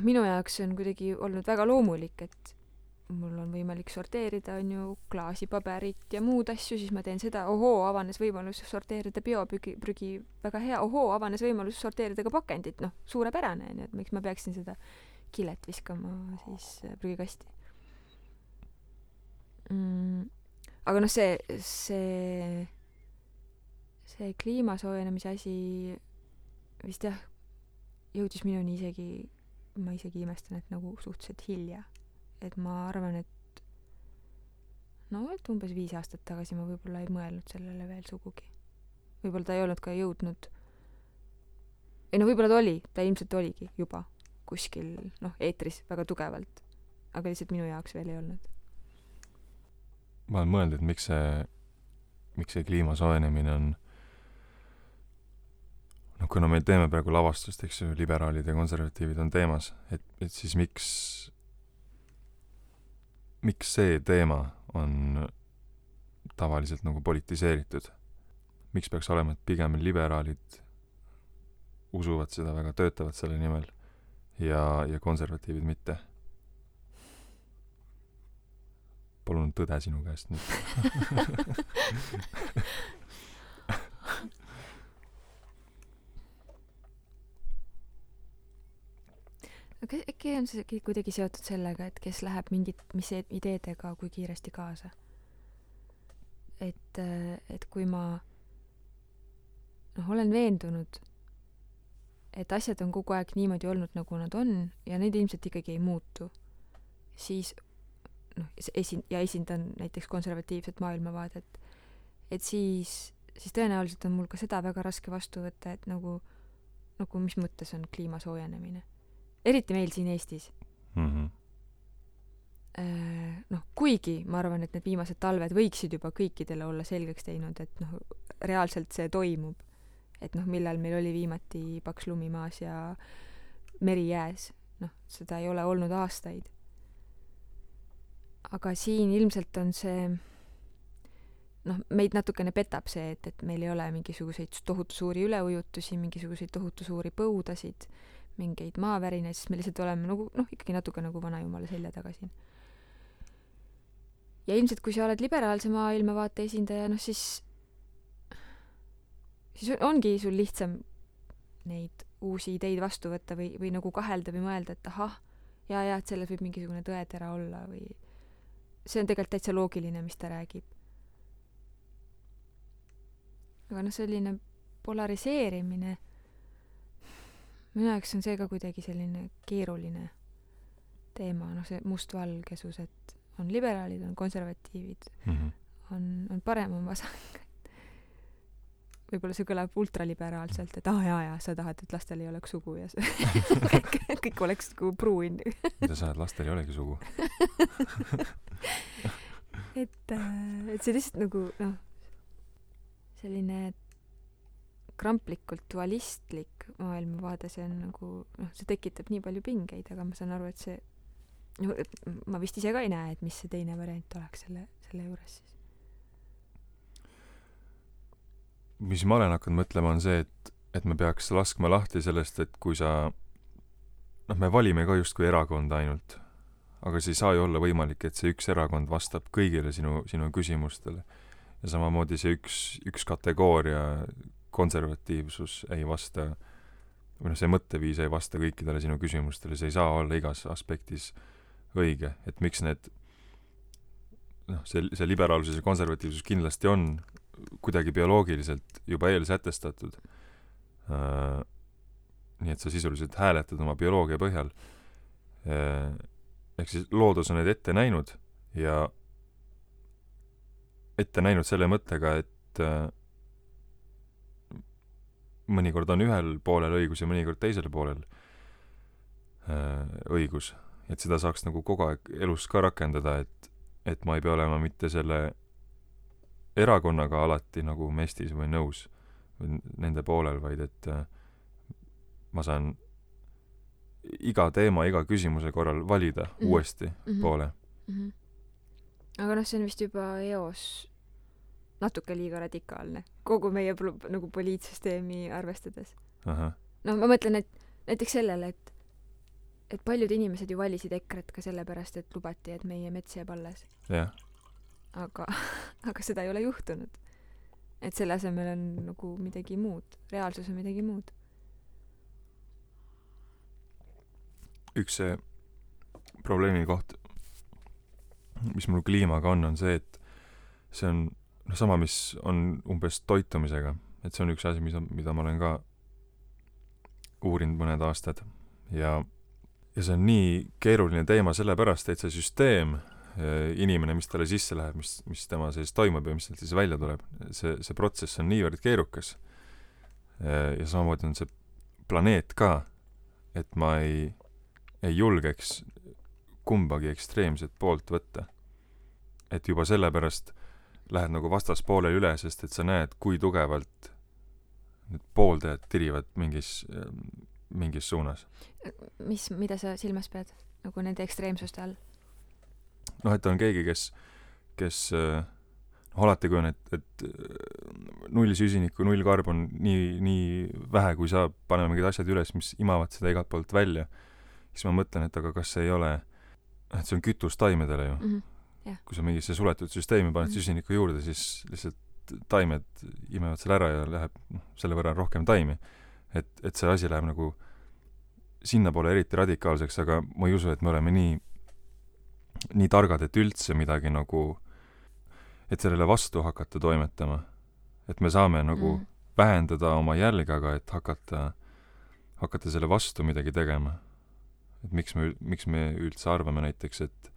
minu jaoks on kuidagi olnud väga loomulik, et mul on võimalik sorteerida, on ju, klaasi, paberit ja muud asju, siis ma teen seda, avanes võimalus sorteerida bioprügi, väga hea, avanes võimalus sorteerida ka pakendit, suurepärane, nii et miks ma peaksin seda kilet viskama siis prügikasti. Aga see kliima soojenemise asi vist jah, jõudis minuni ma isegi imestan, et nagu suhteliselt hilja. Et ma arvan, et umbes 5 aastat tagasi ma võib-olla ei mõelnud sellele veel sugugi. Võib-olla ta ei olnud ka jõudnud, võib-olla ta ilmselt oligi juba kuskil, eetris väga tugevalt, aga lihtsalt minu jaoks veel ei olnud. Ma olen mõelnud, et miks see kliima soojenemine on kuna me teeme praegu lavastust, eks ju, liberaalid ja konservatiivid on teemas, et siis miks see teema on tavaliselt nagu politiseeritud? Miks peaks olema, et pigem liberaalid usuvad seda väga, töötavad selle nimel ja konservatiivid mitte? Palun tõde sinu käest nüüd. Aga äkki on see kuidagi seotud sellega, et kes läheb mis ideedega kui kiiresti kaasa. Et kui ma olen veendunud, et asjad on kogu aeg niimoodi olnud, nagu nad on, ja neid ilmselt ikkagi ei muutu, siis esindan näiteks konservatiivset maailmavaadet, et siis tõenäoliselt on mul ka seda väga raske vastu võtta, et nagu mis mõttes on kliima soojenemine. Eriti meil siin Eestis. Kuigi ma arvan, et need viimased talved võiksid juba kõikidele olla selgeks teinud, et reaalselt see toimub. Et millal meil oli viimati paks lumi maas ja meri jääs. Seda ei ole olnud aastaid. Aga siin ilmselt on see meid natukene petab see, et meil ei ole mingisuguseid tohutu suuri üleujutusi, mingisuguseid tohutu suuri põudasid, mingeid maavärinaid, sest me lihtsalt oleme ikkagi natuke nagu vanajumala selja taga siin. Ja ilmselt, kui sa oled liberaalse maailmavaate esindaja, siis ongi sul lihtsam neid uusi ideid vastu võtta või nagu kahelda või mõelda, et et selles võib mingisugune tõetera olla või see on tegelikult täitsa loogiline, mis ta räägib. Aga selline polariseerimine minu jaoks on see ka kuidagi selline keeruline teema, see mustvalgesus, et on liberaalid, on konservatiivid, on parem, on vasak. Võib-olla see kõlab ultraliberaalselt, et sa tahad, et lastel ei oleks sugu ja kõik oleks nagu pruun. Mida sa tahad, lastel ei olegi sugu? et see lihtsalt nagu selline kramplikult dualistlik maailmavaade, see on nagu, see tekitab nii palju pingeid, aga ma saan aru, et see, ma vist ise ka ei näe, et mis see teine variant oleks selle juures siis. Mis ma olen hakanud mõtlema, on see, et me peaks laskma lahti sellest, et kui sa, me valime ka justkui erakonda ainult, aga see ei saa ju olla võimalik, et see üks erakond vastab kõigile sinu küsimustele. Ja samamoodi see üks kategooria konservatiivsus ei vasta, või see mõtteviis ei vasta kõikidele sinu küsimustele, see ei saa olla igas aspektis õige, et miks need see liberaalsus ja konservatiivsus kindlasti on kuidagi bioloogiliselt juba eelsätestatud. Nii et sa sisuliselt hääletad oma bioloogia põhjal. Ehk siis loodus on need ette näinud ja ette näinud selle mõttega, et mõnikord on ühel poolel õigus ja mõnikord teisel poolel õigus. Et seda saaks nagu kogu aeg elus ka rakendada, et ma ei pea olema mitte selle erakonnaga alati nagu mestis või nõus või nende poolel, vaid et ma saan iga teema, iga küsimuse korral valida uuesti poole. Aga noh, see on vist juba eos natuke liiga radikaalne, kogu meie nagu poliitsüsteemi arvestades. No ma mõtlen, et näiteks sellele, et paljud inimesed ju valisid EKRE-t ka sellepärast, et lubati, et meie mets jääb alles. Jah. Aga seda ei ole juhtunud. Et selle asemel on nagu midagi muud. Reaalsus on midagi muud. Üks see probleemi koht, mis mul kliimaga on see, et see on sama, mis on umbes toitumisega. Et see on üks asi, mida ma olen ka uurinud mõned aastad. Ja see on nii keeruline teema sellepärast, et see süsteem, inimene, mis talle sisse läheb, mis tema sees toimub ja mis sealt siis välja tuleb, see protsess on niivõrd keerukas. Ja samamoodi on see planeet ka, et ma ei julgeks kumbagi ekstreemset poolt võtta. Et juba sellepärast lähed nagu vastaspoolele üle, sest et sa näed, kui tugevalt need pooldajad tirivad mingis suunas. Mida sa silmas pead? Nagu nende ekstreemsuste all? Noh, et on keegi, kes alati kui on, et null süsinikku, null karbon nii vähe, kui saab, paneme mingid asjad üles, mis imavad seda igalt poolt välja. Siis ma mõtlen, et aga kas see ei ole, et see on kütus taimedele ju. Yeah. Kui sa mingisse suletud süsteemi paned süsinikku juurde, siis lihtsalt taimed imevad selle ära ja läheb selle võrra rohkem taimi. Et see asi läheb nagu sinna poole eriti radikaalseks, aga ma ei usu, et me oleme nii targad, et üldse midagi nagu, et sellele vastu hakata toimetama. Et me saame nagu vähendada oma jälge, aga et hakata selle vastu midagi tegema. Et miks me üldse arvame näiteks, et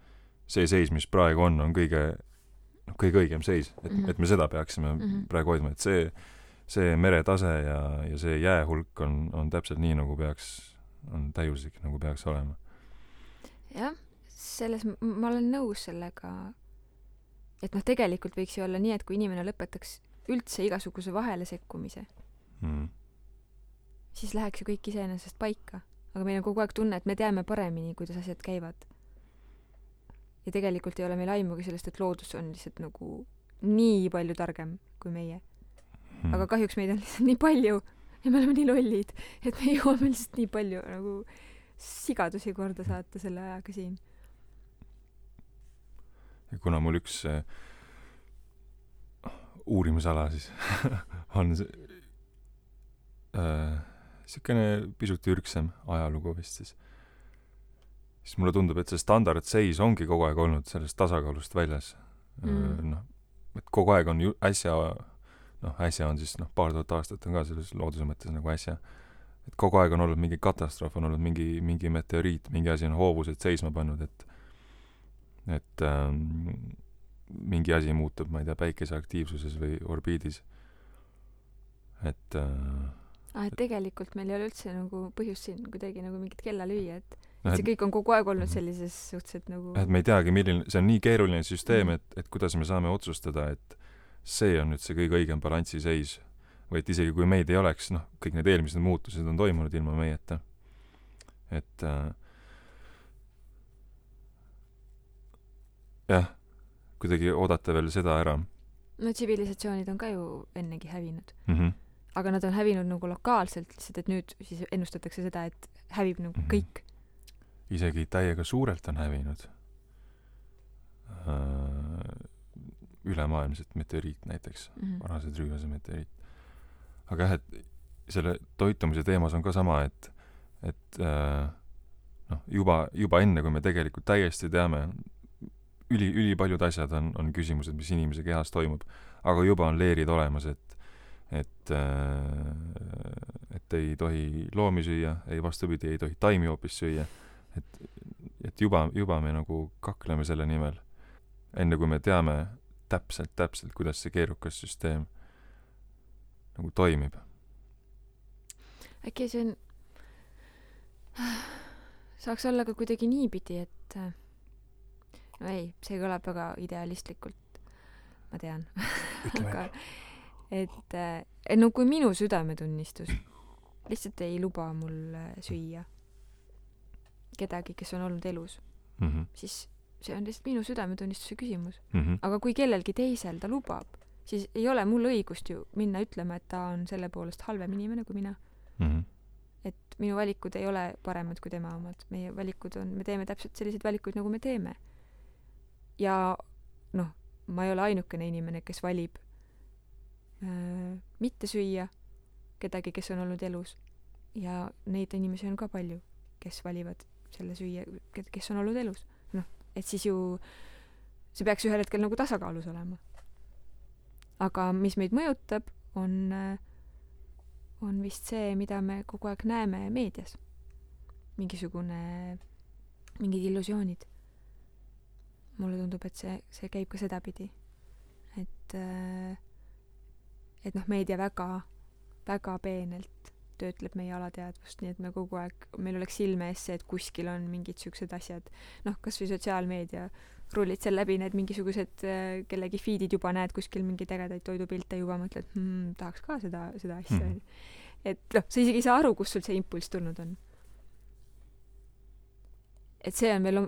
see seis, mis praegu on kõige õigem seis, et me seda peaksime praegu hoidma, et see meretase ja see jäähulk on täpselt nii, nagu on täiuslik, nagu peaks olema. Jah, ma olen nõus sellega, et tegelikult võiks ju olla nii, et kui inimene lõpetaks üldse igasuguse vahele sekkumise, siis läheks ju kõik iseenesest paika. Aga meil on kogu aeg tunne, et me teame paremini, kuidas asjad käivad. Ja tegelikult ei ole meil aimugi sellest, et loodus on lihtsalt nagu nii palju targem kui meie. Aga kahjuks meid on lihtsalt nii palju ja me oleme nii lollid, et me jõuame lihtsalt nii palju nagu sigadusi korda saata selle ajaga siin. Ja kuna mul üks uurimisala siis on siukene pisut ürgsem ajalugu vist siis mulle tundub, et see standardseis ongi kogu aeg olnud sellest tasakaalust väljas. Et kogu aeg on äsja on siis paar tuhat aastat on ka selles looduse mõttes nagu äsja. Et kogu aeg on olnud mingi katastroof, on olnud mingi meteoriit, mingi asi on hoovused seisma pannud, et mingi asi muutub, ma ei tea, päikese aktiivsuses või orbiidis. Et tegelikult meil ei ole üldse nagu põhjust siin kuidagi nagu mingit kella lüüa, et see kõik on kogu aeg olnud sellises suhteliselt nagu... Et me ei teagi, see on nii keeruline süsteem, et kuidas me saame otsustada, et see on nüüd see kõige õigem balansiseis. Või et isegi kui meid ei oleks, kõik need eelmised muutused on toimunud ilma meieta. Et jah, kuidagi oodata veel seda ära. No tsivilisatsioonid on ka ju ennegi hävinud. Aga nad on hävinud nagu lokaalselt, lihtsalt et nüüd siis ennustatakse seda, et hävib nagu kõik. Isegi täiega suurelt on hävinud. Ülemaailmselt meteoriit näiteks, varased rüüvase meteoriit. Aga jah, et selle toitumise teemas on ka sama, et juba enne, kui me tegelikult täiesti teame ülipaljud asjad on küsimused, mis inimese kehas toimub, aga juba on leerid olemas, et ei tohi loomi süüa, ei vastupidi, ei tohi taimi hoopis süüa, et juba me nagu kakleme selle nimel, enne kui me teame täpselt, kuidas see keerukas süsteem nagu toimib. Äkki see on saaks olla ka kuidagi niipidi, et no ei, see kõlab väga idealistlikult, ma tean. Aga et no kui minu südametunnistus lihtsalt ei luba mul süüa kedagi, kes on olnud elus, siis see on lihtsalt minu südametunnistuse küsimus. Aga kui kellelgi teisel ta lubab, siis ei ole mul õigust ju minna ütlema, et ta on selle poolest halvem inimene kui mina. Et minu valikud ei ole paremad kui tema omad. Meie valikud on, me teeme täpselt selliseid valikuid, nagu me teeme. Ja noh, ma ei ole ainukene inimene, kes valib mitte süüa kedagi, kes on olnud elus. Ja neid inimesi on ka palju, kes valivad selle süüa, kes on olnud elus. Noh, et siis ju see peaks ühel hetkel nagu tasakaalus olema. Aga mis meid mõjutab, on vist see, mida me kogu aeg näeme meedias. Mingid illusioonid. Mulle tundub, et see käib ka sedapidi. Et noh, meedia väga peenelt töötleb meie alateadvust, nii et me kogu aeg, meil oleks silme ees see, et kuskil on mingid siuksed asjad. Noh, kas või sotsiaalmeedia rullid seal läbi, need mingisugused kellegi feedid juba näed kuskil mingeid ägedaid toidupilte juba mõtled, tahaks ka seda asja. Et noh, sa isegi ei saa aru, kus sul see impulss tulnud on. Et see on veel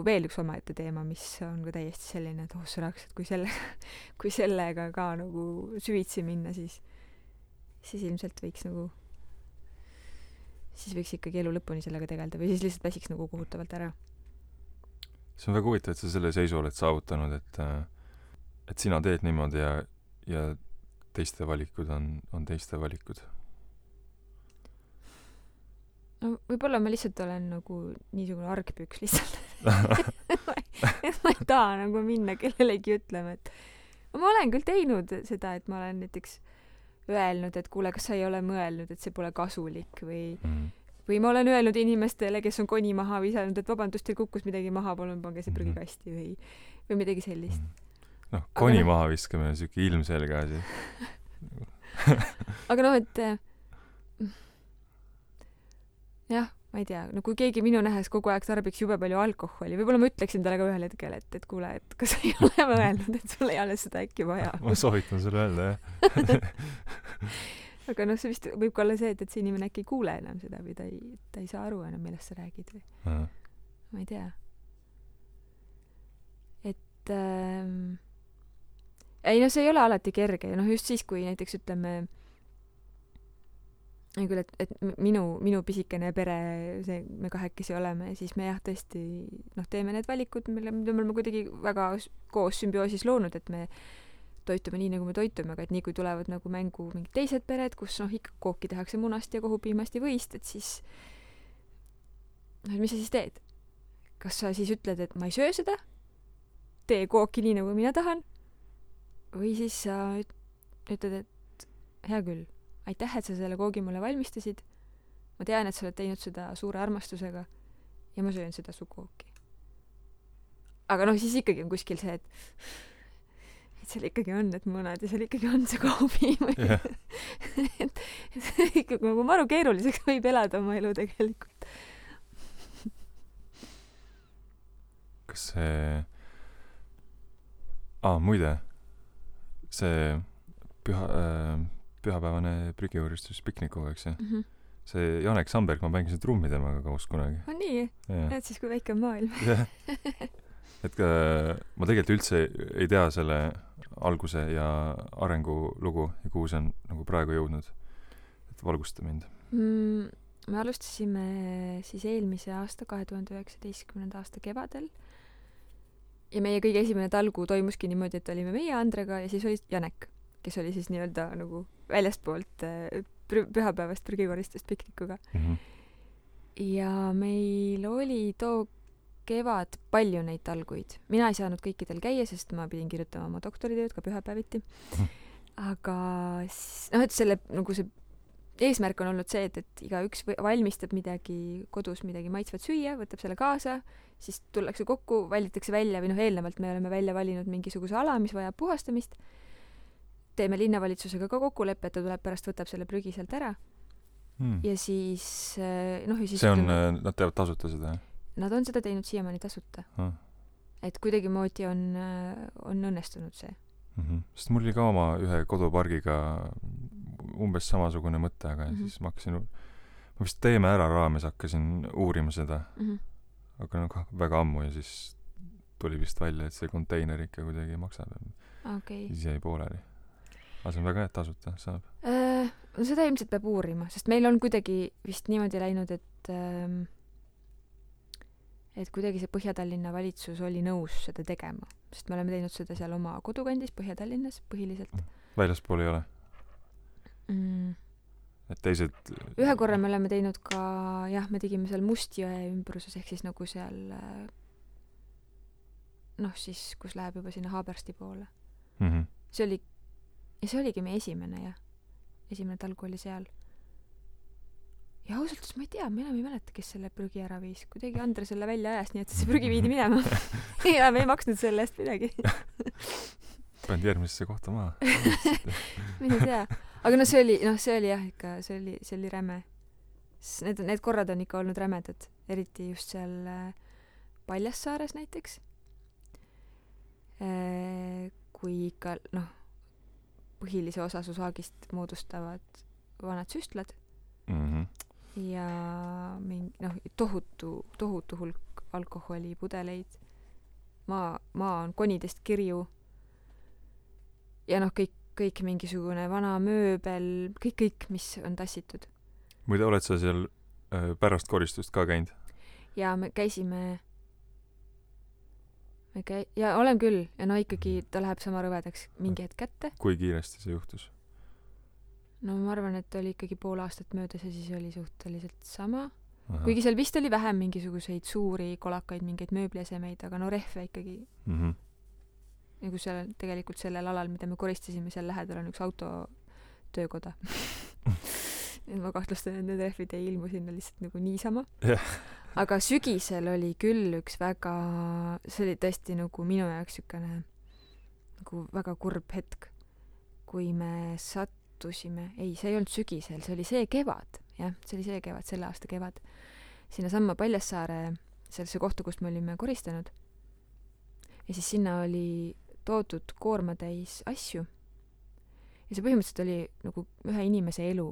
veel üks omaette teema, mis on ka täiesti selline, et sõnaks, et kui sellega ka nagu süvitsi minna, siis ilmselt võiks siis võiks ikkagi elu lõpuni sellega tegelda või siis lihtsalt väsiks nagu kohutavalt ära. See on väga huvitav, et sa selle seisu oled saavutanud, et sina teed niimoodi ja teiste valikud on teiste valikud. No võib-olla ma lihtsalt olen nagu niisugune argpüks lihtsalt. ma ei taha nagu minna kellelegi ütlema, et ma olen küll teinud seda, et ma olen näiteks öelnud, et kuule, kas sa ei ole mõelnud, et see pole kasulik või ma olen öelnud inimestele, kes on koni maha visanud, et vabandust, teil kukkus midagi maha, palun pange see prügikasti või midagi sellist. Noh, koni maha viskamine on siuke ilmselge asi. Aga noh, et jah, ma ei tea, no kui keegi minu nähes kogu aeg tarbiks jube palju alkoholi, võib-olla ma ütleksin talle ka ühel hetkel, et kuule, et kas sa ei ole mõelnud, et sul ei ole seda äkki vaja. Ma soovitan sulle öelda, jah. Aga noh, see vist võib ka olla see, et see inimene äkki ei kuule enam seda või ta ei saa aru enam, millest sa räägid või. Ma ei tea. Et ei noh, see ei ole alati kerge ja noh, just siis, kui näiteks ütleme küll, et minu pisikene pere, see me kahekesi oleme, siis me jah tõesti teeme need valikud, mida me oleme kuidagi väga koos sümbioosis loonud, et me toitume nii, nagu me toitume, aga et nii kui tulevad nagu mängu mingid teised pered, kus ikka kooki tehakse munast ja kohupiimast ja võist, et siis mis sa siis teed? Kas sa siis ütled, et ma ei söö seda? Tee kooki nii, nagu mina tahan? Või siis sa ütled, et hea küll, aitäh, et sa selle koogi mulle valmistasid. Ma tean, et sa oled teinud seda suure armastusega ja ma söön seda su kooki. Aga noh, siis ikkagi on kuskil see, et seal ikkagi on need munad ja seal ikkagi on see kohupiim. Yeah. et ikkagi nagu maru keeruliseks võib elada oma elu tegelikult. Kas see... muide, see pühapäevane prügiuuristus piknikuga, eks see? See Janek Samberg, ma mängisin trummi temaga koos kunagi. On nii? Näed siis, kui väike on maailm. Et ma tegelikult üldse ei tea selle alguse ja arengu lugu ja kuhu see on nagu praegu jõudnud. Et valgusta mind. Me alustasime siis eelmise aasta 2019. aasta kevadel ja meie kõige esimene talgu toimuski niimoodi, et olime meie Andrega ja siis oli Janek, kes oli siis nii-öelda nagu väljastpoolt pühapäevast prügikoristust piknikuga. Ja meil oli too kevad palju neid talguid. Mina ei saanud kõikidel käia, sest ma pidin kirjutama oma doktoritööd ka pühapäeviti. Aga noh, et selle nagu see eesmärk on olnud see, et igaüks valmistab midagi kodus, midagi maitsvat süüa, võtab selle kaasa, siis tullakse kokku, valitakse välja või noh, eelnevalt me oleme välja valinud mingisuguse ala, mis vajab puhastamist. Teeme linnavalitsusega ka kokkuleppe, et ta tuleb pärast, võtab selle prügi sealt ära. Ja siis noh, ja siis see on, nad teevad tasuta seda, jah? Nad on seda teinud siiamaani tasuta. Et kuidagimoodi on õnnestunud see. Sest mul oli ka oma ühe kodupargiga umbes samasugune mõte, aga siis ma vist Teeme ära raames hakkasin uurima seda. Aga noh, väga ammu ja siis tuli vist välja, et see konteiner ikka kuidagi maksab. Siis jäi pooleli. Aga see on väga hea, tasuta saab. No seda ilmselt peab uurima, sest meil on kuidagi vist niimoodi läinud, et kuidagi see Põhja-Tallinna valitsus oli nõus seda tegema, sest me oleme teinud seda seal oma kodukandis Põhja-Tallinnas põhiliselt. Väljaspool ei ole? Et teised... Ühe korra me oleme teinud ka, jah, me tegime seal Mustjõe ümbruses, ehk siis nagu seal noh, siis kus läheb juba sinna Haabersti poole. See oligi meie esimene, jah. Esimene talgu oli seal. Ja ausalt, ma ei tea, ma enam ei mäleta, kes selle prügi ära viis. Kuidagi Andre selle välja ajas, nii et see prügi viidi minema. Ja me ei maksnud selle eest midagi. Pand järgmisesse kohta maha. Mina tea. Aga no see oli jah ikka, see oli räme. Need korrad on ikka olnud rämedad. Eriti just seal Paljassaares näiteks. Kui ikka, noh, põhilise osa su saagist moodustavad vanad süstlad ja tohutu hulk alkoholipudeleid. Maa on konidest kirju ja noh, kõik mingisugune vana mööbel, kõik, mis on tassitud. Muide, oled sa seal pärast koristust ka käinud? Ja me käisime ja olen küll ja no ikkagi ta läheb sama rõvedaks mingi hetk kätte. Kui kiiresti see juhtus? No ma arvan, et oli ikkagi pool aastat möödas ja siis oli suhteliselt sama. Kuigi seal vist oli vähem mingisuguseid suuri kolakaid, mingeid mööbliesemeid, aga no rehve ikkagi. Nagu seal tegelikult sellel alal, mida me koristasime, seal lähedal on üks autotöökoda. Ma kahtlustan, et need rehvid ei ilmu sinna lihtsalt nagu niisama. Aga sügisel oli küll üks väga, see oli tõesti nagu minu jaoks sükene nagu väga kurb hetk, kui me sattusime, see ei olnud sügisel, see oli see kevad, jah, see oli see kevad, selle aasta kevad, sinna samma Paljassaare, sellesse kohta, kust me olime koristanud. Ja siis sinna oli toodud koormatäis asju. Ja see põhimõtteliselt oli nagu ühe inimese elu.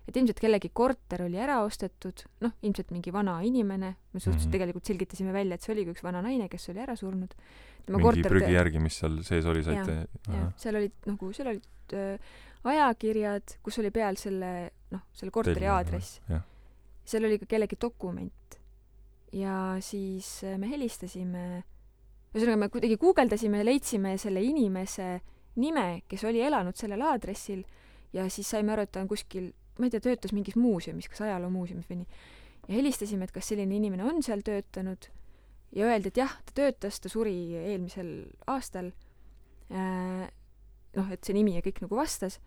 Et ilmselt kellegi korter oli ära ostetud, noh, ilmselt mingi vana inimene, me suhteliselt tegelikult selgitasime välja, et see oligi üks vana naine, kes oli ära surnud. Mingi prügi järgi, mis seal sees oli, saite? Ja, seal olid ajakirjad, kus oli peal selle korteri aadress. Seal oli ka kellegi dokument. Ja siis me helistasime, ühesõnaga me kuidagi guugeldasime ja leidsime selle inimese nime, kes oli elanud sellel aadressil ja siis saime aru, et ta on kuskil, ma ei tea, töötas mingis muuseumis, kas ajaloomuuseumis või nii. Ja helistasime, et kas selline inimene on seal töötanud ja öeldi, et jah, ta töötas, ta suri eelmisel aastal. Noh, et see nimi ja kõik nagu vastas.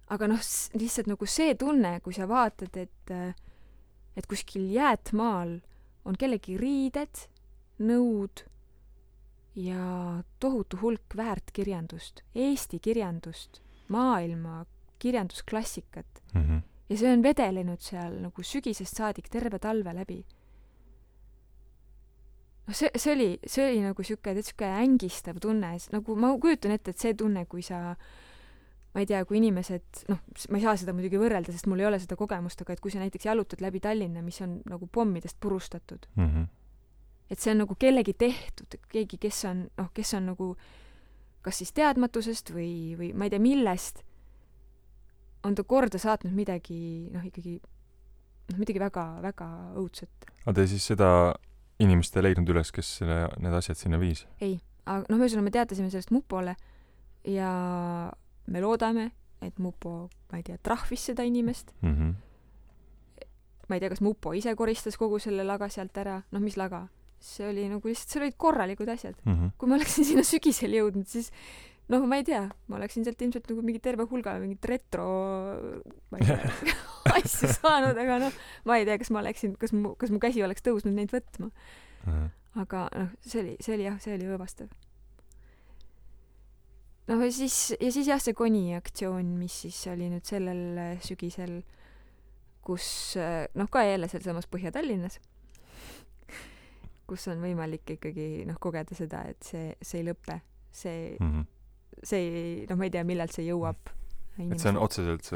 Aga noh, lihtsalt nagu see tunne, kui sa vaatad, et kuskil jäätmaal on kellegi riided, nõud ja tohutu hulk väärtkirjandust, Eesti kirjandust, maailma kirjandusklassikat. Ja see on vedelenud seal nagu sügisest saadik terve talve läbi. No see oli nagu siuke ängistav tunne. Nagu ma kujutan ette, et see tunne, kui sa, ma ei tea, kui inimesed, noh, ma ei saa seda muidugi võrrelda, sest mul ei ole seda kogemust, aga et kui sa näiteks jalutad läbi Tallinna, mis on nagu pommidest purustatud. Et see on nagu kellegi tehtud, keegi, kes on nagu kas siis teadmatusest või ma ei tea millest, on ta korda saatnud midagi, midagi väga, väga õudset. Aga te siis seda inimest ei leidnud üles, kes need asjad sinna viis? Ei, aga me teatasime sellest Mupole ja me loodame, et Mupo, ma ei tea, trahvis seda inimest. ma ei tea, kas Mupo ise koristas kogu selle laga sealt ära, noh, mis laga? See oli nagu lihtsalt, seal olid korralikud asjad. Kui ma oleksin sinna sügisel jõudnud, siis noh, ma ei tea, ma oleksin sealt ilmselt nagu mingi terve hulga mingit retro ma ei tea, asju saanud, aga noh, ma ei tea, kas ma oleksin, kas mu käsi oleks tõusnud neid võtma. Aga noh, see oli õõvastav. Noh, ja siis jah, see Koni aktsioon, mis siis oli nüüd sellel sügisel, kus noh, ka jälle seal samas Põhja-Tallinnas, kus on võimalik ikkagi noh, kogeda seda, et see ei lõpe. See ei, noh, ma ei tea, millal see jõuab inimesed. Et see on otseselt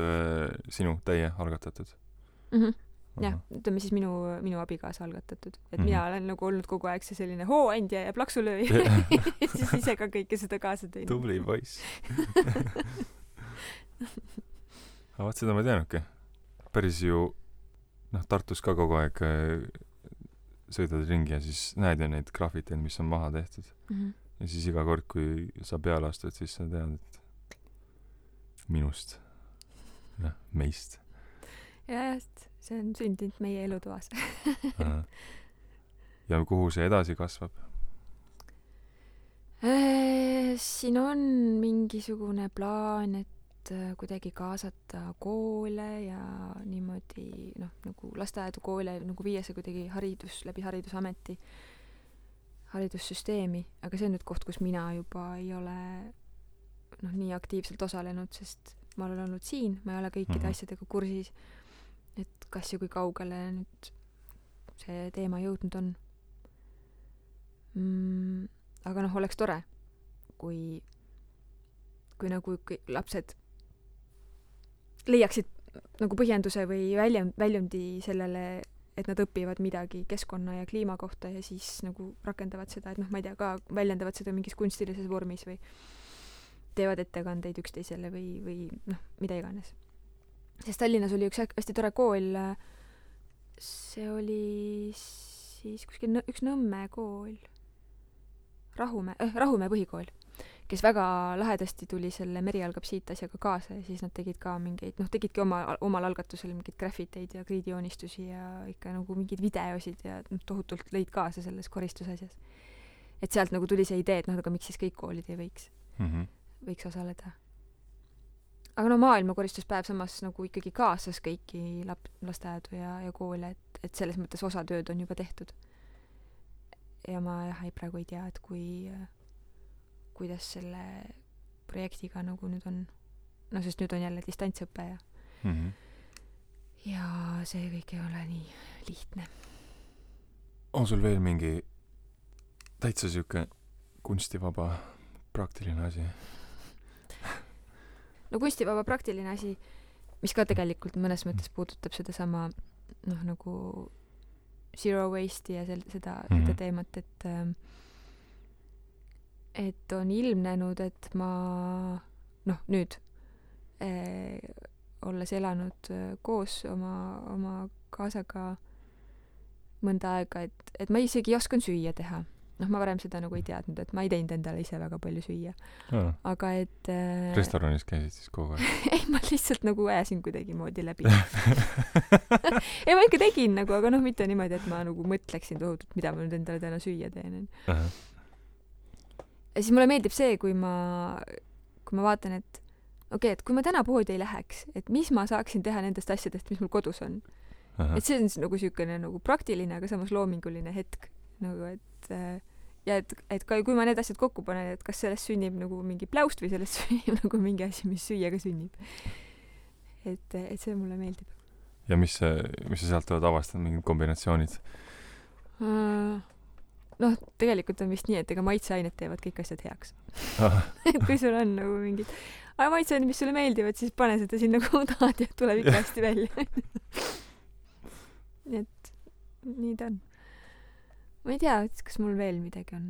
sinu teie algatatud? Jah, ütleme siis minu abikaasa algatatud. Et mina olen nagu olnud kogu aeg see selline hooandja ja plaksulööj. siis ise ka kõike seda kaasa teinud. Tubli poiss. Aga vaat seda ma teanudki. Päris ju noh, Tartus ka kogu aeg sõidad ringi ja siis näed ju neid graffiteid, mis on maha tehtud. Ja siis iga kord, kui sa peale astud, siis sa tead, et minust. Ja meist. Ja, see on sündinud meie elutoas. Ja kuhu see edasi kasvab? Siin on mingisugune plaan, et kuidagi kaasata koole ja niimoodi, noh, nagu lasteaedu koole, nagu viia see kuidagi läbi haridusameti haridussüsteemi, aga see on nüüd koht, kus mina juba ei ole noh, nii aktiivselt osalenud, sest ma olen olnud siin, ma ei ole kõikide asjadega kursis, et kas ja kui kaugele nüüd see teema jõudnud on. Aga noh, oleks tore, kui nagu lapsed leiaksid nagu põhjenduse või väljundi sellele, et nad õpivad midagi keskkonna ja kliima kohta ja siis nagu rakendavad seda, et noh, ma ei tea, ka väljendavad seda mingis kunstilises vormis või teevad ettekandeid üksteisele või noh, mida iganes. Sest Tallinnas oli üks hästi tore kool, see oli siis kuskil üks Nõmme kool, Rahumäe põhikool, kes väga lahedasti tuli selle Meri algab siit asjaga kaasa ja siis nad tegid ka mingeid, noh, tegidki omal algatusel mingeid graffiteid ja kriidijoonistusi ja ikka nagu mingeid videosid ja noh, tohutult lõid kaasa selles koristusasjas. Et sealt nagu tuli see idee, et noh, aga miks siis kõik koolid ei võiks osaleda. Aga no maailma koristuspäev samas nagu ikkagi kaasas kõiki lasteaedu ja koole, et selles mõttes osa tööd on juba tehtud. Ja ma praegu ei tea, et kuidas selle projektiga nagu nüüd on, no sest nüüd on jälle distantsõpe ja see kõik ei ole nii lihtne. On sul veel mingi täitsa siuke kunstivaba praktiline asi? No kunstivaba praktiline asi, mis ka tegelikult mõnes mõttes puudutab seda sama noh, nagu zero waste ja seda teemat, et on ilmnenud, et ma noh, nüüd olles elanud koos oma kaasaga mõnda aega, et ma isegi ei oskan süüa teha. Noh, ma varem seda nagu ei teadnud, et ma ei teinud endale ise väga palju süüa. Aga et restoranis käisid siis kogu aeg? Ei, ma lihtsalt nagu ajasin kuidagi moodi läbi. Ei, ma ikka tegin nagu, aga noh, mitte niimoodi, et ma nagu mõtleksin tohutult, mida ma nüüd endale täna süüa teen. Ja siis mulle meeldib see, kui ma vaatan, et okei, et kui ma täna poodi ei läheks, et mis ma saaksin teha nendest asjadest, mis mul kodus on. Et see on nagu siukene nagu praktiline, aga samas loominguline hetk. Nagu, et kui ma need asjad kokku panen, et kas sellest sünnib nagu mingi pläust või sellest sünnib nagu mingi asi, mis süüaga sünnib. Et see mulle meeldib. Ja mis sa sealt oled avastanud, mingid kombinatsioonid? Noh, tegelikult on vist nii, et ega maitseained teevad kõik asjad heaks. Et kui sul on nagu mingid maitseained, mis sulle meeldivad, siis pane seda sinna kuhu tahad ja tuleb ikka hästi välja. Et nii ta on. Ma ei tea, kas mul veel midagi on.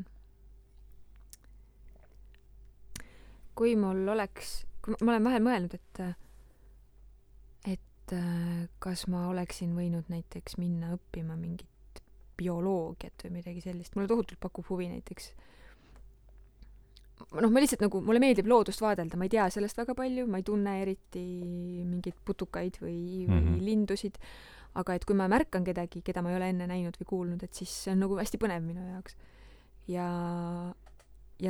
Kui mul oleks, ma olen vahel mõelnud, et kas ma oleksin võinud näiteks minna õppima mingit bioloogiat või midagi sellist. Mulle tohutult pakub huvi näiteks. Noh, ma lihtsalt nagu, mulle meeldib loodust vaadelda, ma ei tea sellest väga palju, ma ei tunne eriti mingeid putukaid või lindusid, aga et kui ma märkan kedagi, keda ma ei ole enne näinud või kuulnud, et siis see on nagu hästi põnev minu jaoks. Ja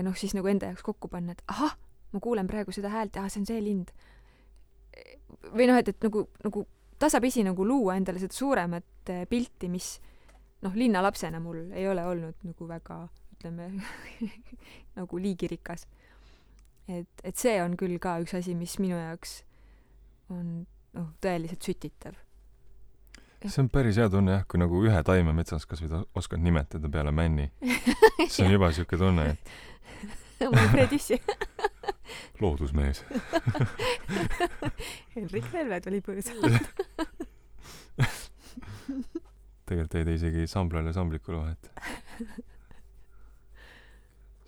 noh, siis nagu enda jaoks kokku panna, et ahah, ma kuulen praegu seda häält, see on see lind. Või noh, et nagu tasapisi nagu luua endale seda suuremat pilti, mis noh, linnalapsena mul ei ole olnud nagu väga, ütleme, nagu liigirikas. Et see on küll ka üks asi, mis minu jaoks on tõeliselt sütitav. See on päris hea tunne jah, kui nagu ühe taime metsas kas või oskad nimetada peale männi. See on juba siuke tunne, et ma olen Fred Issi. Loodusmees. Henrik Velvet oli põõsalt. Tegelikult ei tee isegi samblale sambliku vahet.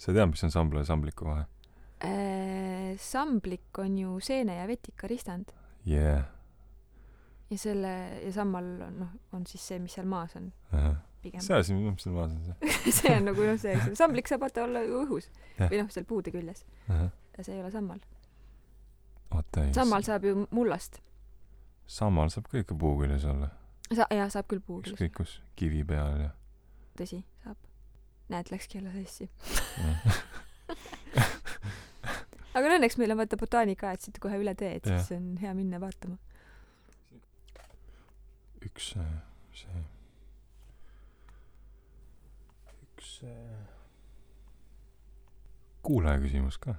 Sa tead, mis on sambla ja sambliku vahe? Samblik on ju seene ja vetika ristand. Yeah. Ja sammal on siis see, mis seal maas on. Pigem. See asi, mis seal maas on see. See on nagu see. Samblik saab olla ju õhus. Või seal puude küljes. Ja see ei ole sammal. Sammal saab ju mullast. Sammal saab ka ikka puu küljes olla. Jah, saab küll puu küljes. Ükskõik kus, kivi peal ja... Tõsi, saab. Näed, läkski jälle sassi. Aga õnneks meil on vaata botaanika, et siit kohe üle tee, et siis on hea minna vaatama. Üks kuulaja küsimus ka.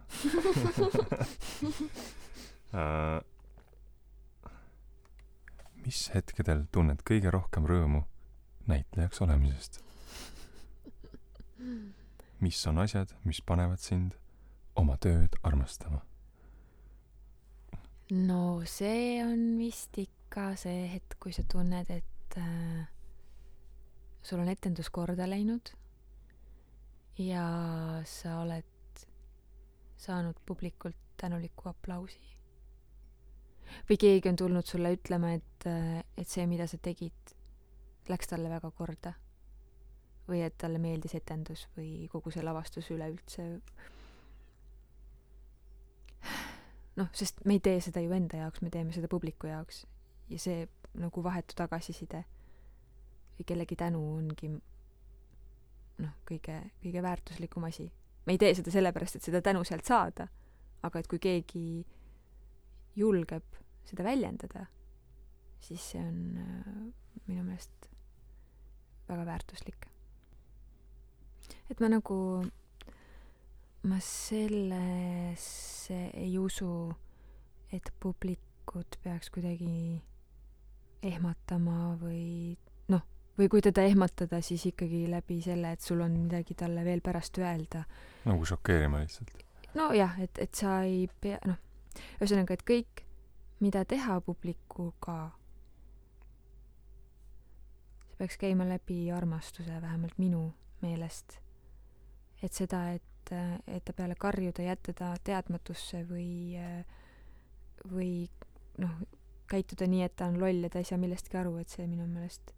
Mis hetkedel tunned kõige rohkem rõõmu näitlejaks olemisest? Mis on asjad, mis panevad sind oma tööd armastama? No see on vist ikka see hetk, kui sa tunned, et sul on etendus korda läinud ja sa oled saanud publikult tänuliku aplausi. Või keegi on tulnud sulle ütlema, et see, mida sa tegid, läks talle väga korda. Või et talle meeldis etendus või kogu see lavastus üleüldse. Sest me ei tee seda ju enda jaoks, me teeme seda publiku jaoks. Ja see nagu vahetu tagasiside või kellegi tänu ongi kõige väärtuslikum asi. Me ei tee seda sellepärast, et seda tänu sealt saada, aga et kui keegi julgeb seda väljendada, siis see on minu meelest väga väärtuslik. Et ma sellesse ei usu, et publikut peaks kuidagi ehmatama või kui teda ehmatada, siis ikkagi läbi selle, et sul on midagi talle veel pärast öelda. Nagu šokeerima lihtsalt. Jah, et sa ei pea, ühesõnaga, et kõik, mida teha publikuga, see peaks käima läbi armastuse, vähemalt minu meelest. Et seda, et ta peale karjuda jätta ta teadmatusse või käituda nii, et ta on loll ja ta ei saa millestki aru, et see minu meelest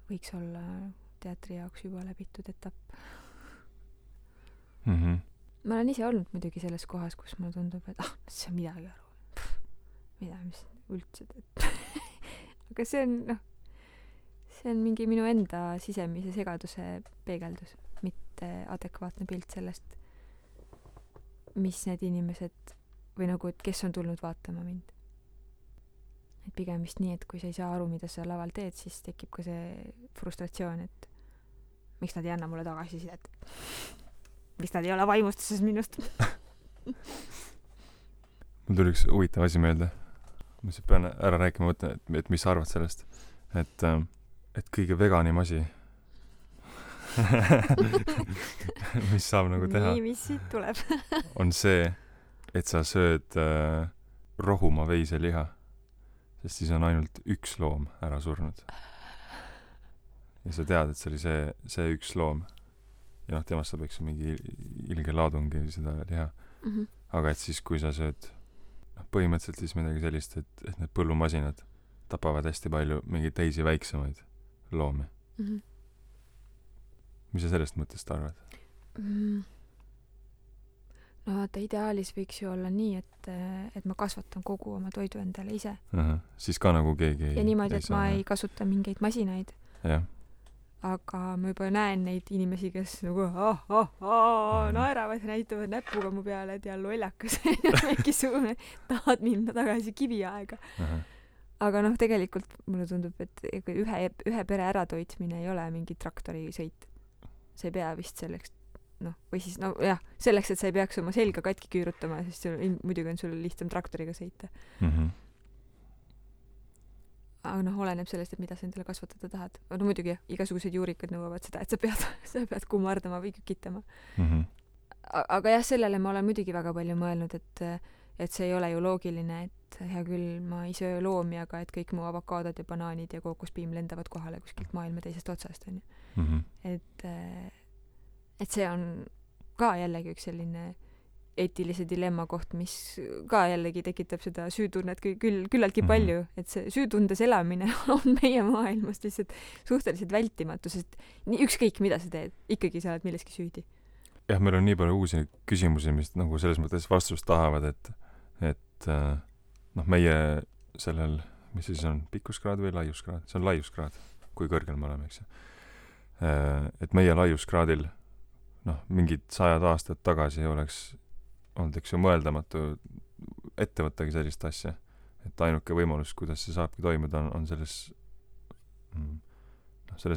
võiks olla teatri jaoks juba läbitud etapp. Ma olen ise olnud muidugi selles kohas, kus mulle tundub, et see on midagi aru. Mis üldse teed. Aga see on mingi minu enda sisemise segaduse peegeldus, mitte adekvaatne pilt sellest, mis need inimesed või et kes on tulnud vaatama mind. Et pigem vist nii, et kui sa ei saa aru, mida sa laval teed, siis tekib ka see frustratsioon, et miks nad ei anna mulle tagasisidet. Miks nad ei ole vaimustuses minust. Mul tuli üks huvitav asi meelde. Ma siis pean ära rääkima, et mis sa arvad sellest. Et kõige veganim asi, mis saab nagu teha, nii, mis siit tuleb? on see, et sa sööd rohuma veiseliha, sest siis on ainult üks loom ära surnud. Ja sa tead, et see oli see üks loom. Ja temast saab eks mingi ilge laadungi seda liha. Aga et siis, kui sa sööd põhimõtteliselt siis midagi sellist, et need põllumasinad tapavad hästi palju mingeid teisi väiksemaid loomi. Mis sa sellest mõttest arvad? no vaata, ideaalis võiks ju olla nii, et ma kasvatan kogu oma toidu endale ise. Siis ka nagu keegi ja niimoodi, et ma ei kasuta mingeid masinaid. Jah. Aga ma juba näen neid inimesi, kes nagu naeravad ja näitavad näpuga mu peale, et ja lollakas mingisugune, tahad minna tagasi kiviaega. Aga noh, tegelikult mulle tundub, et ühe pere äratoitmine ei ole mingi traktorisõit. See ei pea vist selleks, või siis, selleks, et sa ei peaks oma selga katki küürutama, sest muidugi on sul lihtsam traktoriga sõita. Aga oleneb sellest, et mida sa endale kasvatada tahad. No muidugi, igasugused juurikad nõuavad seda, et sa pead kummardama või kükitama. Aga jah, sellele ma olen muidugi väga palju mõelnud, et see ei ole ju loogiline, et hea küll, ma ei söö loomi, aga et kõik mu avokaadod ja banaanid ja kookospiim lendavad kohale kuskilt maailma teisest otsast, on ju. Et see on ka jällegi üks selline eetilise dilemma koht, mis ka jällegi tekitab seda süütunnet küllaltki palju, et see süütundes elamine on meie maailmas lihtsalt suhteliselt vältimatu, sest ükskõik mida sa teed, ikkagi sa oled milleski süüdi. Jah, meil on nii palju uusi küsimusi, mis nagu selles mõttes vastust tahavad, et meie sellel, mis siis on, pikkuskraad või laiuskraad? See on laiuskraad, kui kõrgel me oleme, eks ju. Et meie laiuskraadil mingid 100 aastat tagasi oleks olnud, eks ju, mõeldamatu ette võttagi sellist asja. Et ainuke võimalus, kuidas see saabki toimuda, on selles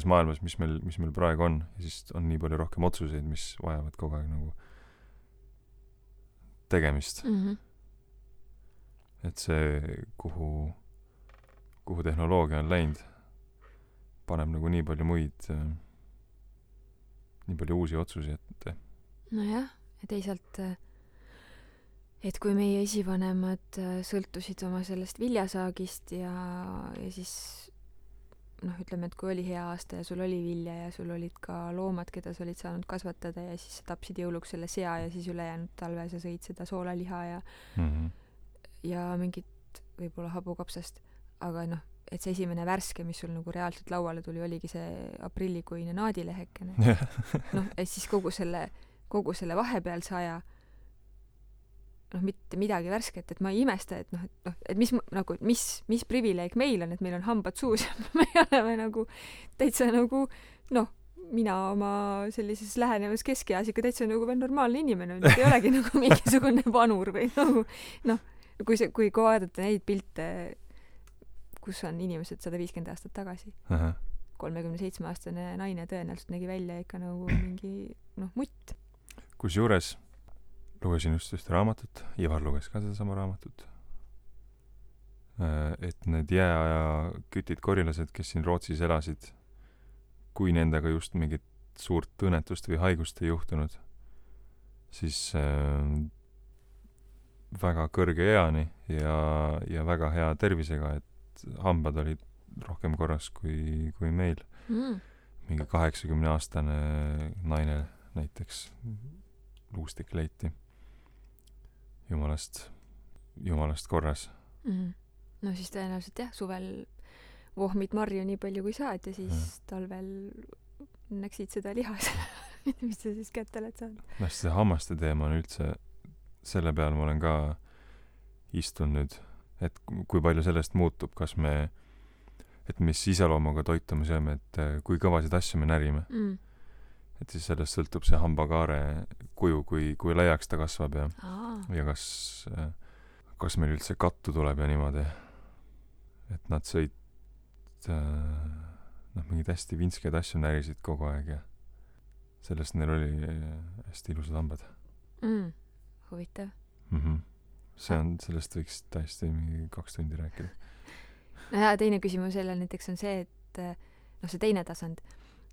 maailmas, mis meil praegu on. Ja siis on nii palju rohkem otsuseid, mis vajavad kogu aeg nagu tegemist. Et see, kuhu tehnoloogia on läinud, paneb nagu nii palju muid, nii palju uusi otsusi ette. Nojah, ja teisalt et kui meie esivanemad sõltusid oma sellest viljasaagist ja siis ütleme, et kui oli hea aasta ja sul oli vilja ja sul olid ka loomad, keda sa olid saanud kasvatada ja siis sa tapsid jõuluks selle sea ja siis ülejäänud talve sa sõid seda soolaliha ja mingit võib-olla habukapsast, aga et see esimene värske, mis sul nagu reaalselt lauale tuli, oligi see aprillikuine naadilehekene. Et siis kogu selle vahepealse aja mitte midagi värsket, et ma ei imesta, et mis privileeg meil on, et meil on hambad suus ja me oleme nagu täitsa nagu, mina oma sellises lähenevas keskeas ikka täitsa nagu veel normaalne inimene, ei olegi nagu mingisugune vanur või nagu, kui vaadata neid pilte, kus on inimesed 150 aastat tagasi. 37-aastane naine tõenäoliselt nägi välja ikka nagu mingi, mutt. Kusjuures lugesin just ühte raamatut, Ivar luges ka sedasama raamatut, et need jääaja kütid korilased, kes siin Rootsis elasid, kui nendega just mingit suurt õnnetust või haigust ei juhtunud, siis väga kõrge eani ja väga hea tervisega, et hambad olid rohkem korras kui meil. Mingi 80-aastane naine näiteks luustik leiti. Jumalast korras. No siis tõenäoliselt jah, suvel vohmid marju nii palju kui saad ja siis talvel näksid seda lihas, mis sa siis kätte oled saanud. See hammaste teema on üldse, selle peal ma olen ka istunud, et kui palju sellest muutub, et mis iseloomuga toitu me sööme, et kui kõvasid asju me närime. Et siis sellest sõltub see hambakaare kuju, kui laiaks ta kasvab ja kas meil üldse kattu tuleb ja niimoodi. Et nad sõid mingid hästi vinsked asju närisid kogu aeg ja sellest neil oli hästi ilusad hambad. Huvitav. Sellest võiks täiesti 2 tundi rääkida. No ja teine küsimus jälle näiteks on see, et see teine tasand,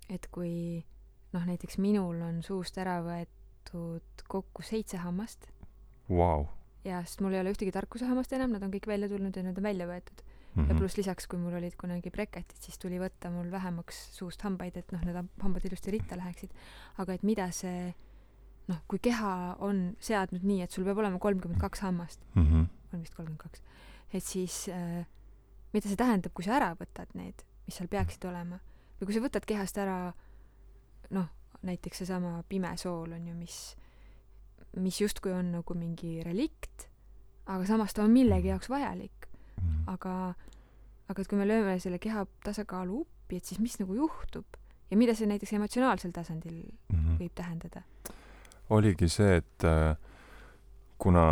et kui näiteks minul on suust ära võetud kokku 7 hammast. Wow. Ja sest mul ei ole ühtegi tarkusehammast enam, nad on kõik välja tulnud ja nad on välja võetud. Ja pluss lisaks, kui mul olid kunagi breketid, siis tuli võtta mul vähemaks suust hambaid, et need hambad ilusti ritta läheksid. Aga et mida see, kui keha on seadnud nii, et sul peab olema 32 hammast, on vist 32, et siis mida see tähendab, kui sa ära võtad need, mis seal peaksid olema? Või kui sa võtad kehast ära näiteks seesama pime sool on ju, mis justkui on nagu mingi relikt, aga samas ta on millegi jaoks vajalik. Aga et kui me lööme selle keha tasakaalu uppi, et siis mis nagu juhtub ja mida see näiteks emotsionaalsel tasandil võib tähendada? Oligi see, et kuna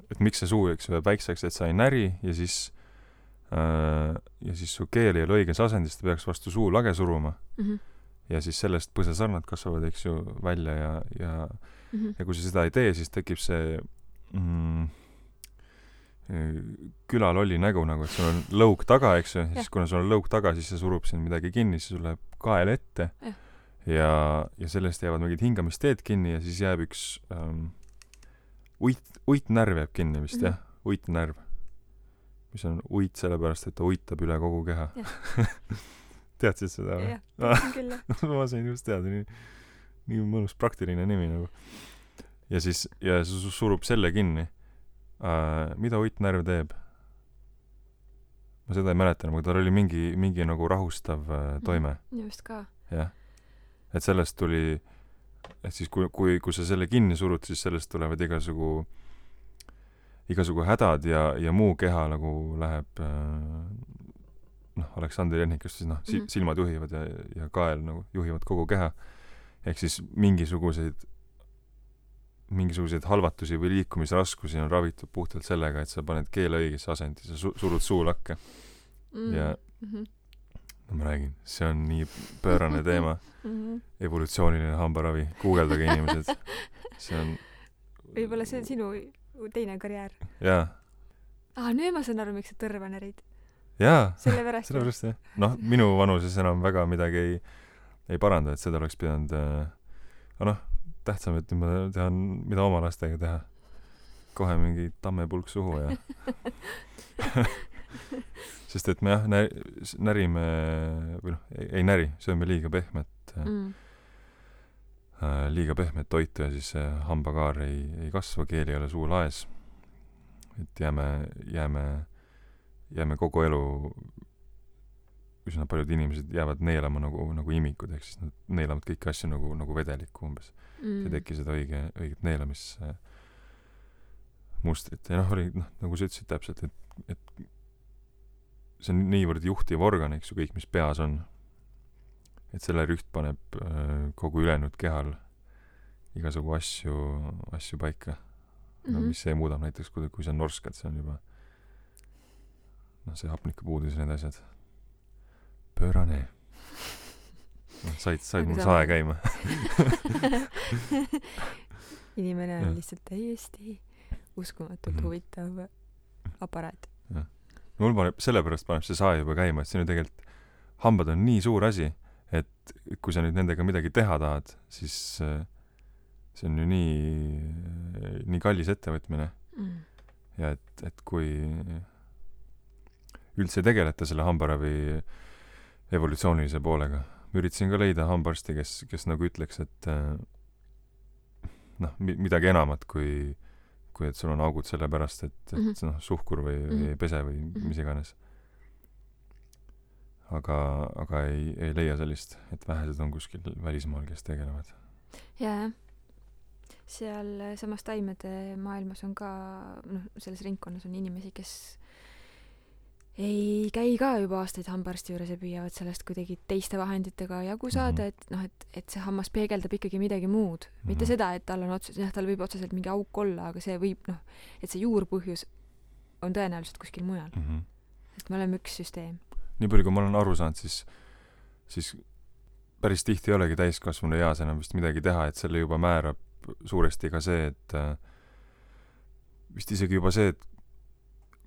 et miks see suu, eks ju, väikseks, et sa ei näri ja siis su keel ei ole õiges asendis, ta peaks vastu suu lage suruma. Ja siis sellest põsesarnad kasvavad, eks ju, välja ja kui sa seda ei tee, siis tekib see külalolli nägu nagu, et sul on lõug taga, eks ju, siis kuna sul on lõug taga, siis see surub siin midagi kinni, siis sul läheb kael ette ja sellest jäävad mingid hingamisteed kinni ja siis jääb üks uitnärv jääb kinni vist, jah? Uitnärv. Mis on uit sellepärast, et ta uittab üle kogu keha. Teadsid seda? Jah, teadsin küll, jah. Ma sain just teada, nii mõnus praktiline nimi nagu. Ja siis surub selle kinni. Mida uitnärv teeb? Ma seda ei mäletan, aga tal oli mingi nagu rahustav toime. Just ka. Jah. Et sellest tuli, et siis kui sa selle kinni surud, siis sellest tulevad igasugu hädad ja muu keha nagu läheb Aleksandr Jehnikust siis silmad juhivad ja kael nagu juhivad kogu keha. Ehk siis mingisuguseid halvatusi või liikumisraskusi on ravitud puhtalt sellega, et sa paned keele õigesse asendi, sa surud suu lakke. Ja ma räägin, see on nii pöörane teema. Evolutsiooniline hambaravi. Guugeldage inimesed. See on... Võib-olla see on sinu teine karjäär. Jaa. Nüüd ma saan aru, miks sa tõrva närid. Jaa, sellepärast jah. Minu vanuses enam väga midagi ei paranda, et seda oleks pidanud tähtsam, et nüüd ma tean, mida oma lastega teha. Kohe mingi tammepulk suhu ja sest et me närime või ei näri, sööme liiga pehmet toitu ja siis hambakaar ei kasva, keel ei ole suu laes. Et jääme kogu elu, üsna paljud inimesed jäävad neelama nagu imikud, ehk siis nad neelavad kõiki asju nagu vedelikku umbes. See teki seda õiget neelamismustrit. Ja oli, nagu sa ütlesid täpselt, et see on niivõrd juhtiv organ, eks ju, kõik, mis peas on. Et selle rüht paneb kogu ülejäänud kehal igasugu asju paika. Mis see muudab näiteks, kui sa norskad, see on juba see hapnikupuudus ja need asjad. Pöörane. Said mul sae käima. Inimene on lihtsalt täiesti uskumatult huvitav aparaat. Mul sellepärast paneb see sae juba käima, et see on ju tegelikult hambad on nii suur asi, et kui sa nüüd nendega midagi teha tahad, siis see on ju nii kallis ettevõtmine. Ja et kui üldse tegeleta selle hambaravi evolutsioonilise poolega. Ma üritasin ka leida hambarsti, kes nagu ütleks, et midagi enamat kui et sul on augud selle pärast, et suhkur või pese või mis iganes. Aga ei leia sellist, et vähesed on kuskil välismaal, kes tegelevad. Jaa. Seal samas taimede maailmas on ka, selles ringkonnas on inimesi, kes ei käi ka juba aastaid hambarsti juures ja püüavad sellest kuidagi teiste vahenditega jagu saada, et see hammas peegeldab ikkagi midagi muud. Mitte seda, et tal võib otseselt mingi auk olla, aga see võib, et see juurpõhjus on tõenäoliselt kuskil mujal. Et me oleme üks süsteem. Nii palju, kui ma olen aru saanud, siis päris tihti ei olegi täiskasvanu eas enam vist midagi teha, et selle juba määrab suuresti ka see, et vist isegi juba see, et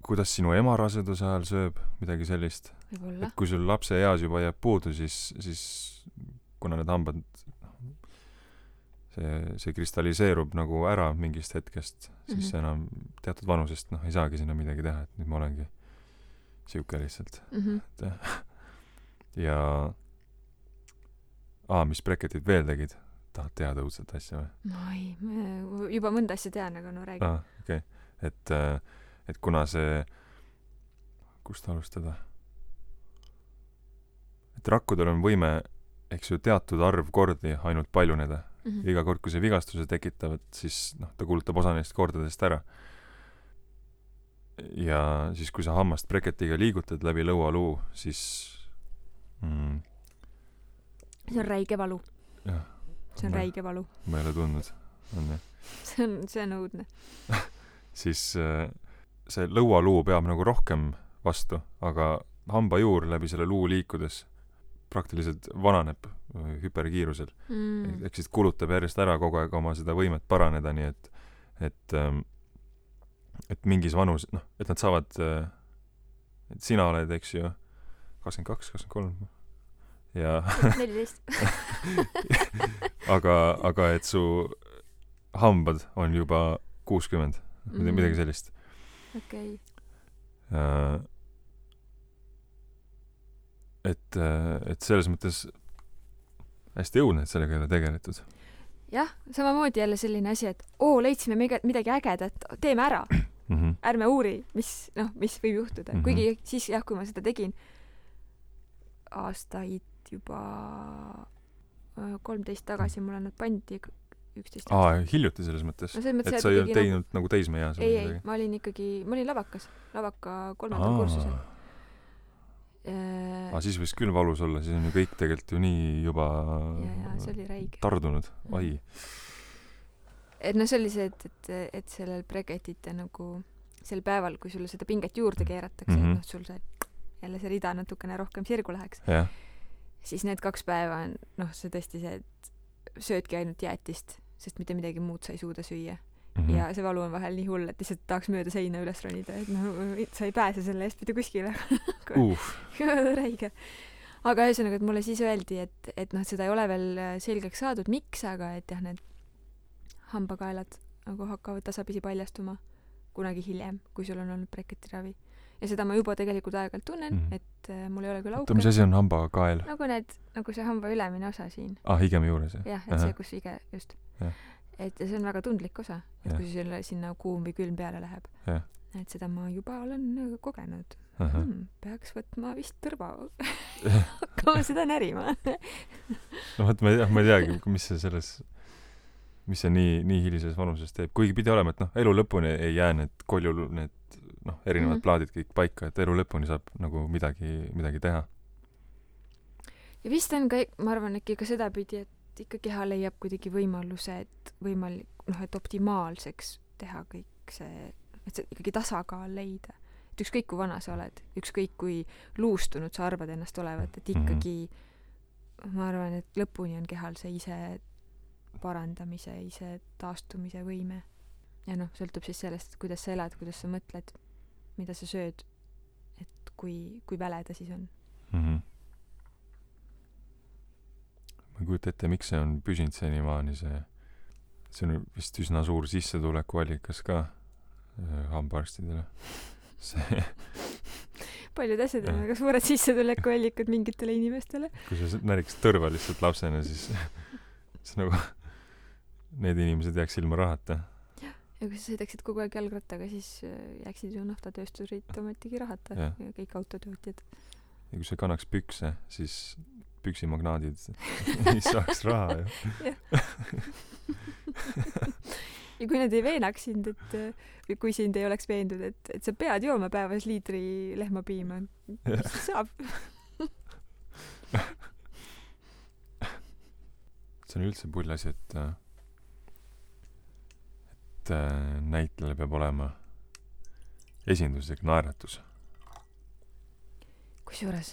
kuidas sinu ema raseduse ajal sööb, midagi sellist. Võibolla. Et kui sul lapse eas juba jääb puudu, siis kuna need hambad see kristalliseerub nagu ära mingist hetkest, siis enam teatud vanusest ei saagi sinna midagi teha, et nüüd ma olengi siuke lihtsalt. Ja mis breketid veel tegid? Tahad teada õudset asja või? Juba mõnda asja tean, aga räägi. Okay. Et kuna see, kust alustada? Et rakkudel on võime, eks ju, teatud arv kordi ainult paljuneda. ja iga kord, kui see vigastuse tekitavad, siis ta kulutab osa neist kordadest ära. Ja siis, kui sa hammast breketiga liigutad läbi lõualuu, siis see on räige valu. jah. See on räige valu. Ma ei ole tundnud. On jah. See on õudne. Siis see lõualuu peab nagu rohkem vastu, aga hambajuur läbi selle luu liikudes praktiliselt vananeb hüperkiirusel. Ehk siis kulutab järjest ära kogu aeg oma seda võimet paraneda, nii et mingis vanus, et nad saavad, et sina oled, eks ju, 22, 23 ja 14. aga et su hambad on juba 60, midagi sellist. Okei. Et selles mõttes hästi õudne, et sellega ei ole tegeletud. Jah, samamoodi jälle selline asi, et leidsime midagi ägedat, teeme ära. Ärme uuri, mis võib juhtuda. Kuigi siis jah, kui ma seda tegin aastaid juba 13 tagasi, mulle nad pandi 11 aastat. Hiljuti selles mõttes? No, mõttes, et sa ei olnud teinud nagu teismeeas? Ei, ma olin lavaka 3. kursusel. Siis võis küll valus olla, siis on ju kõik tegelikult ju nii juba see oli räige. Tardunud. Ai. Et see oli see, et sellel breketite nagu sel päeval, kui sulle seda pinget juurde keeratakse, et sul jälle see rida natukene rohkem sirgu läheks, siis need 2 päeva on see tõesti see, et söödki ainult jäätist, sest mitte midagi muud sa ei suuda süüa. Ja see valu on vahel nii hull, et lihtsalt tahaks mööda seina üles ronida, et sa ei pääse selle eest mitte kuskile. Räige. Aga ühesõnaga, et mulle siis öeldi, et seda ei ole veel selgeks saadud, miks, aga et jah, need hambakaelad nagu hakkavad tasapisi paljastuma kunagi hiljem, kui sul on olnud breketiravi. Ja seda ma juba tegelikult aeg-ajalt tunnen, et mul ei ole küll auke. Mis asi on hambakael? Nagu see hamba ülemine osa siin. Higeme juures, jah? Jah, et see, kus hige, just. Et see on väga tundlik osa, et kui sinna kuum või külm peale läheb. Et seda ma juba olen kogenud. Peaks võtma vist tõrva. Hakkama seda närima. Ma ei teagi, mis see nii hilises vanuses teeb. Kuigi pidi olema, et elu lõpuni ei jää need erinevad plaadid kõik paika, et elu lõpuni saab nagu midagi teha. Ja vist on ka, ma arvan, äkki ka seda pidi, et ikka keha leiab kuidagi võimaluse, et optimaalseks teha kõik see, et see ikkagi tasakaal leida. Et ükskõik kui vana sa oled, ükskõik kui luustunud sa arvad ennast olevat, et ikkagi ma arvan, et lõpuni on kehal see ise parandamise, ise taastumise võime. Ja sõltub siis sellest, kuidas sa elad, kuidas sa mõtled, mida sa sööd, et kui väle ta siis on. Ma ei kujuta ette, miks see on püsinud senimaani, see on vist üsna suur sissetulekuallikas ka hambaarstidele. Paljud asjad on väga suured sissetulekuallikad mingitele inimestele. Kui sa näriks tõrva lihtsalt lapsena, siis nagu need inimesed jääks ilma rahata. Ja kui sa sõidaksid kogu aeg jalgrattaga, siis jääksid ju naftatöösturid ometigi rahata ja kõik autotootjad. Ja kui sa kannaks pükse, siis püksimagnaadid ei saaks raha ju. Ja kui nad ei veenaks sind, või kui sind ei oleks veendud, et sa pead jooma päevas liitri lehmapiima, mis saab? See on üldse pull asi, et näitlejal peab olema esinduslik naeratus. Kusjuures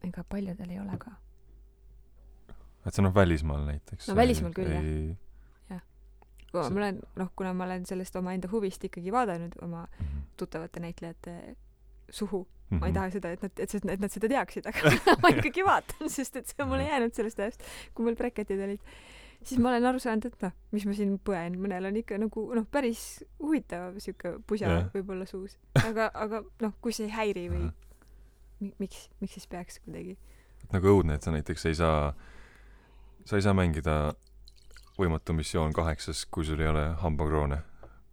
ega paljudel ei ole ka. Et see välismaal näiteks. Välismaal küll, jah. Kuna ma olen sellest oma enda huvist ikkagi vaadanud oma tuttavate näitlejate suhu. Ma ei taha seda, et nad seda teaksid, aga ma ikkagi vaatan, sest et see on mulle jäänud sellest ajast, kui mul breketid olid. Siis ma olen aru saanud, et mis ma siin põen. Mõnel on ikka päris huvitav siuke pusa võib-olla suus. Aga kui see ei häiri või miks siis peaks kuidagi? Nagu õudne, et sa näiteks sa ei saa mängida Võimatu missioon 8, kui sul ei ole hambakroone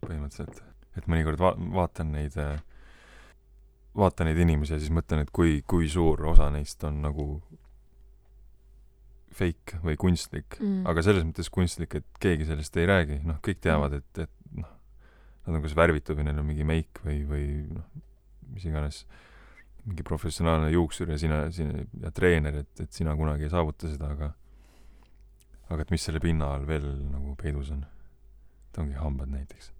põhimõtteliselt. Et mõnikord vaatan neid inimesi ja siis mõtlen, et kui suur osa neist on nagu fake või kunstlik, aga selles mõttes kunstlik, et keegi sellest ei räägi, noh, kõik teavad, et noh, nad on kas värvitud või neil on mingi meik või noh, mis iganes, mingi professionaalne juuksur ja sina ja treener, et sina kunagi ei saavuta seda, aga et mis selle pinna all veel nagu peidus on. Et ongi hambad näiteks.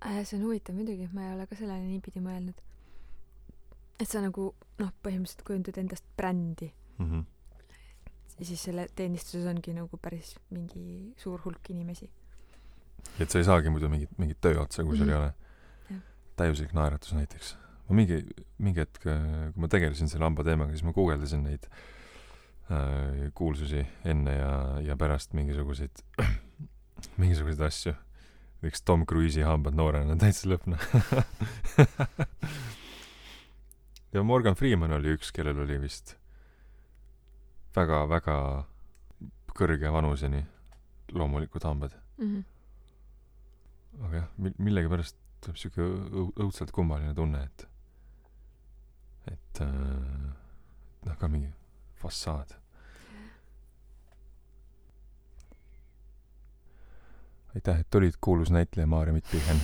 See on huvitav muidugi, ma ei ole ka sellele niipidi mõelnud. Et sa nagu, noh, põhimõtteliselt kujundad endast brändi. Ja siis selle teenistuses ongi nagu päris mingi suur hulk inimesi. Et sa ei saagi muidu mingit tööotsa, kui sul ei ole täiuslik naeratus näiteks. Ma mingi hetk, kui ma tegelesin selle hamba teemaga, siis ma guugeldasin neid kuulsusi enne ja pärast mingisuguseid asju. Üks Tom Cruise'i hambad noorena täitsa lõpna. Ja Morgan Freeman oli üks, kellel oli vist väga-väga kõrge vanuseni loomulikud hambad. Aga jah, millegi pärast tuleb siuke õudselt kummaline tunne, et noh, ka mingi fassaad. Aitäh, et olid kuulus näitleja Maarja Pichen.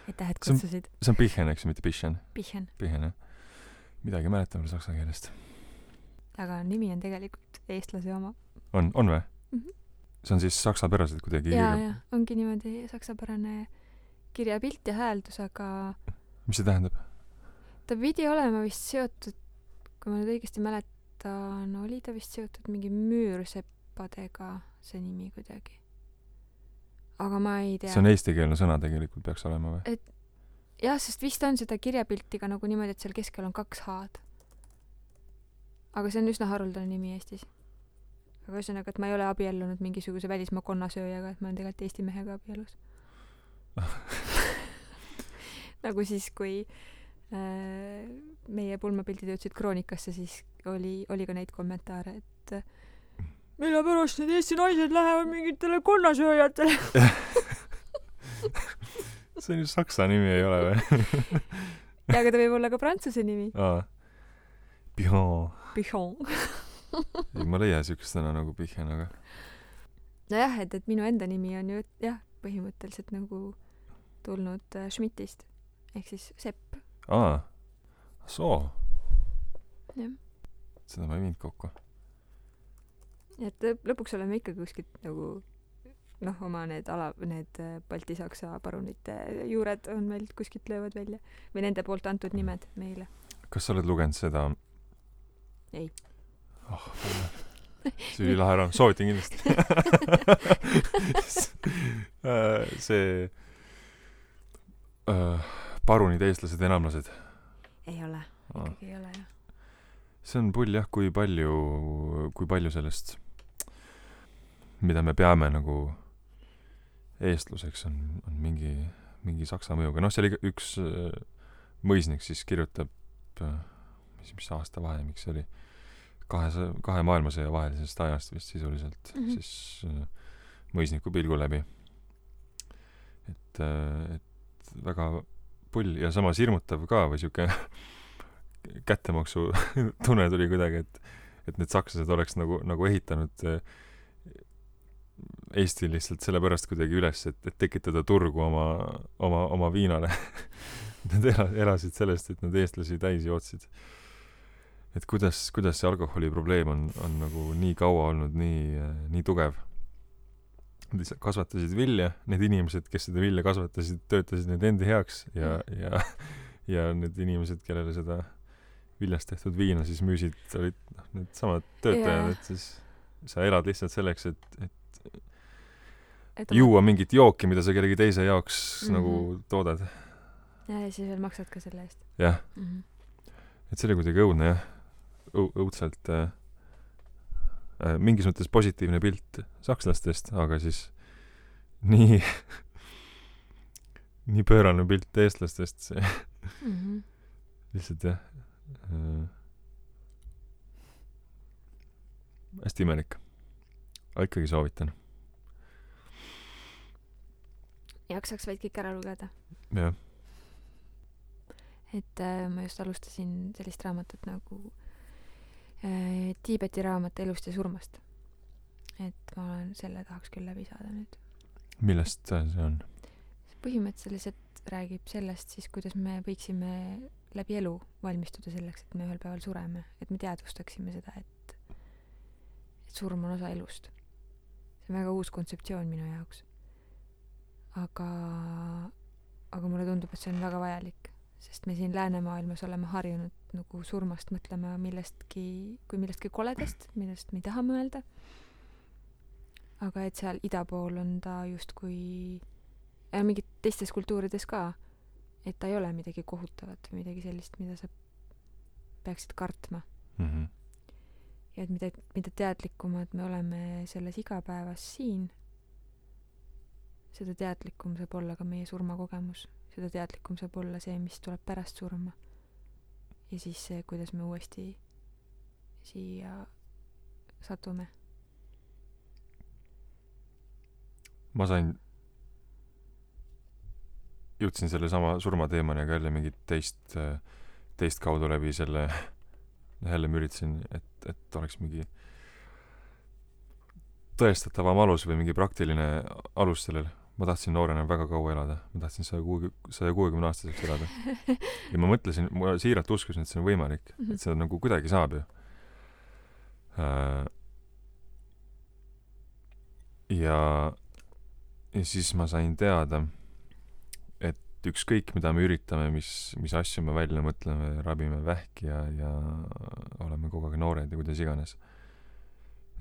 Aitäh, et kutsusid. See on Pichen, eks, mitte Pichen. Pichen, jah. Midagi mäletan veel saksa keelest. aga nimi on tegelikult eestlase oma. On või? See on siis saksapäraselt kuidagi ja, ongi niimoodi saksapärane kirjapilt ja hääldus, aga mis see tähendab? Ta pidi olema vist seotud, kui ma nüüd õigesti mäletan, oli ta vist seotud mingi müürsepadega, see nimi kuidagi. Aga ma ei tea. See on eestikeelne sõna tegelikult peaks olema või? Jah, sest vist on seda kirjapiltiga nagu niimoodi, et seal keskel on 2 H-d. Aga see on üsna haruldane nimi Eestis. Aga ühesõnaga, et ma ei ole abiellunud mingisuguse välismaa konnasööjaga, et ma olen tegelikult Eesti mehega abielus. Nagu siis, kui meie pulmapildid jõudsid kroonikasse, siis oli ka neid kommentaare, et mille pärast need Eesti naised lähevad mingitele konnasööjatele. See on ju saksa nimi, ei ole või? Ja, aga ta võib olla ka prantsuse nimi. Pichon. Pichon. Ei, ma leia siukest sõna nagu Pichen, aga nojah, et minu enda nimi on ju jah, põhimõtteliselt nagu tulnud Schmidtist ehk siis Sepp. Soo. Jah. Seda ma ei viinud kokku. Et lõpuks oleme ikka kuskilt nagu noh, oma need Balti-Saksa parunite juured on meil kuskilt löövad välja või nende poolt antud nimed meile. Kas sa oled lugenud seda? Ei. See oli lahe raam, soovitan kindlasti. See parunid, eestlased, enamlased. Ei ole, ikkagi ei ole jah. See on pull jah, kui palju sellest, mida me peame nagu eestluseks, on mingi saksa mõjuga. Noh, see oli üks mõisnik siis kirjutab, mis aasta vahemik see oli, kahe maailmasõja vahelisest ajast vist sisuliselt, siis mõisniku pilgu läbi. Et väga pull ja samas hirmutav ka või siuke kättemaksu tunne tuli kuidagi, et need sakslased oleks nagu ehitanud Eesti lihtsalt sellepärast kuidagi üles, et tekitada turgu oma viinale. Nad elasid sellest, et nad eestlasi täis jootsid. Et kuidas see alkoholiprobleem on nagu nii kaua olnud nii tugev. Nad kasvatasid vilja, need inimesed, kes seda vilja kasvatasid, töötasid need endi heaks ja need inimesed, kellele seda viljast tehtud viina siis müüsid, olid need samad töötajad, et siis sa elad lihtsalt selleks, et juua mingit jooki, mida sa kellegi teise jaoks nagu toodad. Ja siis veel maksad ka selle eest. Jah. Et see oli kuidagi õudne, jah. Õudselt mingis mõttes positiivne pilt sakslastest, aga siis nii pöörane pilt eestlastest see lihtsalt jah hästi imelik. Aga ikkagi soovitan. Jaksaks vaid kõik ära lugeda. Jah. Et ma just alustasin sellist raamatut nagu Tiibeti raamat elust ja surmast. Et ma selle tahaks küll läbi saada nüüd. Millest see on? Põhimõtteliselt räägib sellest siis, kuidas me võiksime läbi elu valmistuda selleks, et me ühel päeval sureme, et me teadvustaksime seda, et surm on osa elust. See on väga uus kontseptsioon minu jaoks. Aga mulle tundub, et see on väga vajalik, sest me siin läänemaailmas oleme harjunud nagu surmast mõtlema kui millestki koledast, millest me ei taha mõelda. Aga et seal ida pool on ta justkui mingid teistes kultuurides ka, et ta ei ole midagi kohutavat või midagi sellist, mida sa peaksid kartma. Mm-hmm. Ja et mida teadlikumad me oleme selles igapäevas siin, seda teadlikum saab olla ka meie surmakogemus. Seda teadlikum saab olla see, mis tuleb pärast surma. Ja siis see, kuidas me uuesti siia satume. Ma jõudsin selle sama surmateemani, aga jälle mingit teist kaudu läbi selle jälle ma üritasin, et oleks mingi tõestatavam alus või mingi praktiline alus sellel. Ma tahtsin noorena väga kaua elada. Ma tahtsin 160 aastaseks elada. Ja ma mõtlesin, ma siiralt uskusin, et see on võimalik. Et seda nagu kuidagi saab ju. Ja siis ma sain teada, et ükskõik mida me üritame, mis asju me välja mõtleme, rabime vähki ja oleme kogu aeg noored ja kuidas iganes.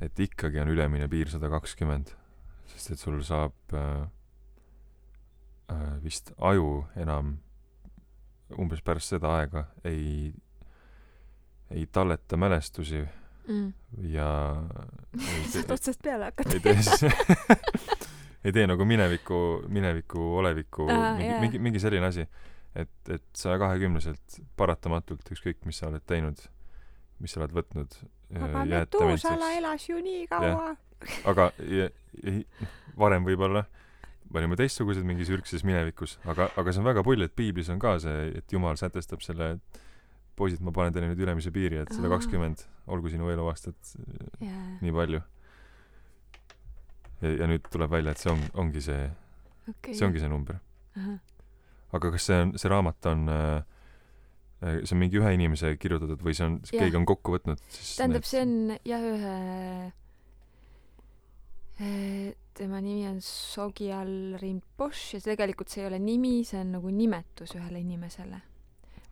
Et ikkagi on ülemine piir 120, sest et sul saab vist aju enam umbes pärast seda aega ei talleta mälestusi ja saad otsast peale hakata. ei tee nagu mineviku, oleviku, mingi selline asi, et 120-selt paratamatult ükskõik, mis sa oled teinud, mis sa oled võtnud. Aga Metuusala elas ju nii kaua. Aga varem võib-olla olime teistsugused mingis ürgses minevikus, aga see on väga pull, et piiblis on ka see, et Jumal sätestab selle, et poisid, ma panen teile nüüd ülemise piiri, et 120 olgu sinu eluaastat nii palju. Ja nüüd tuleb välja, et see ongi see see ongi see number. Aga kas see raamat on see on mingi ühe inimese kirjutatud või keegi on kokku võtnud? Tähendab, see on tema nimi on Sogyal Rinpoche ja tegelikult see ei ole nimi, see on nagu nimetus ühele inimesele.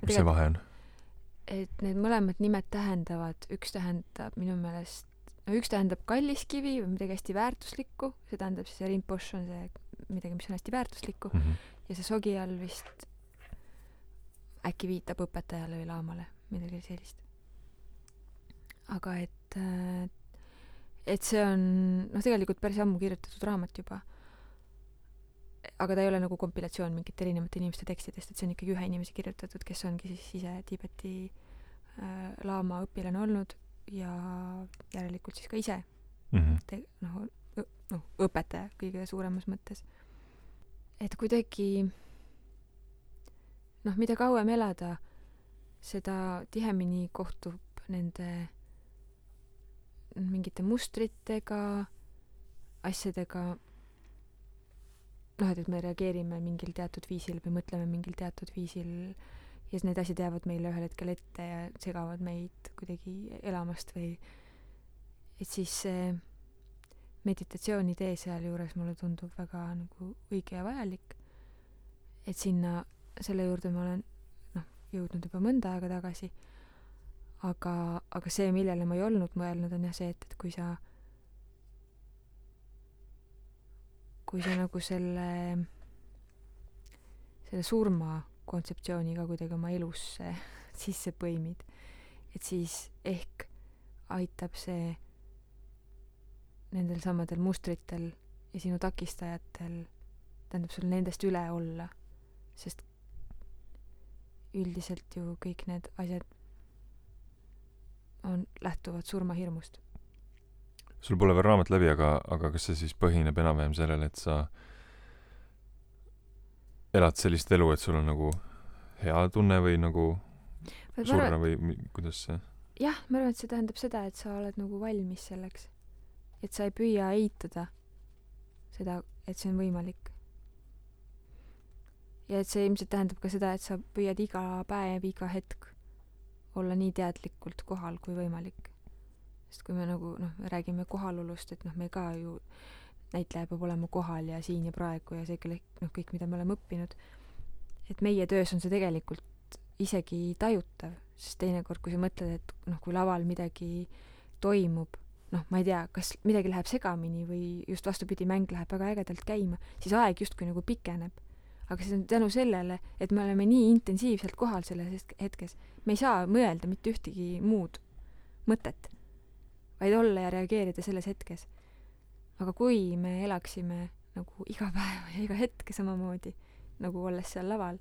Mis see vahe on? Et need mõlemad nimed tähendavad, üks tähendab minu meelest, üks tähendab kalliskivi või midagi hästi väärtuslikku, see tähendab siis see Rinpoche on see midagi, mis on hästi väärtuslikku ja see Sogyal vist äkki viitab õpetajale või laamale, midagi sellist. Aga et see on tegelikult päris ammu kirjutatud raamat juba. Aga ta ei ole nagu kompilatsioon mingite erinevate inimeste tekstidest, et see on ikkagi ühe inimese kirjutatud, kes ongi siis ise Tiibeti laama õpilane olnud ja järelikult siis ka ise õpetaja kõige suuremas mõttes. Et kuidagi mida kauem elada, seda tihemini kohtub nende mingite mustritega, asjadega, et me reageerime mingil teatud viisil või mõtleme mingil teatud viisil ja need asjad jäävad meile ühel hetkel ette ja segavad meid kuidagi elamast või et siis see meditatsiooni tee seal juures mulle tundub väga nagu õige ja vajalik, et selle juurde ma olen jõudnud juba mõnda aega tagasi, aga see, millele ma ei olnud mõelnud, on jah see, et kui sa nagu selle surma kontseptsiooniga kuidagi oma elusse sisse põimid, et siis ehk aitab see nendel samadel mustritel ja sinu takistajatel, tähendab sul nendest üle olla, sest üldiselt ju kõik need asjad lähtuvad surmahirmust. Sul pole veel raamat läbi, aga kas see siis põhineb enam-vähem sellele, et sa elad sellist elu, et sul on nagu hea tunne või nagu surra või kuidas see? jah, ma arvan, et see tähendab seda, et sa oled nagu valmis selleks. Et sa ei püüa eitada seda, et see on võimalik. Ja et see ilmselt tähendab ka seda, et sa püüad iga päev, iga hetk olla nii teadlikult kohal kui võimalik. Sest kui me nagu, räägime kohalolust, et me ka ju näitleja peab olema kohal ja siin ja praegu ja see kõik, mida me oleme õppinud. Et meie töös on see tegelikult isegi tajutav, sest teinekord, kui sa mõtled, et kui laval midagi toimub, ma ei tea, kas midagi läheb segamini või just vastupidi, mäng läheb väga ägedalt käima, siis aeg justkui nagu pikeneb. Aga see on tänu sellele, et me oleme nii intensiivselt kohal selles hetkes. Me ei saa mõelda mitte ühtegi muud mõtet, vaid olla ja reageerida selles hetkes. Aga kui me elaksime nagu iga päev ja iga hetke samamoodi, nagu olles seal laval,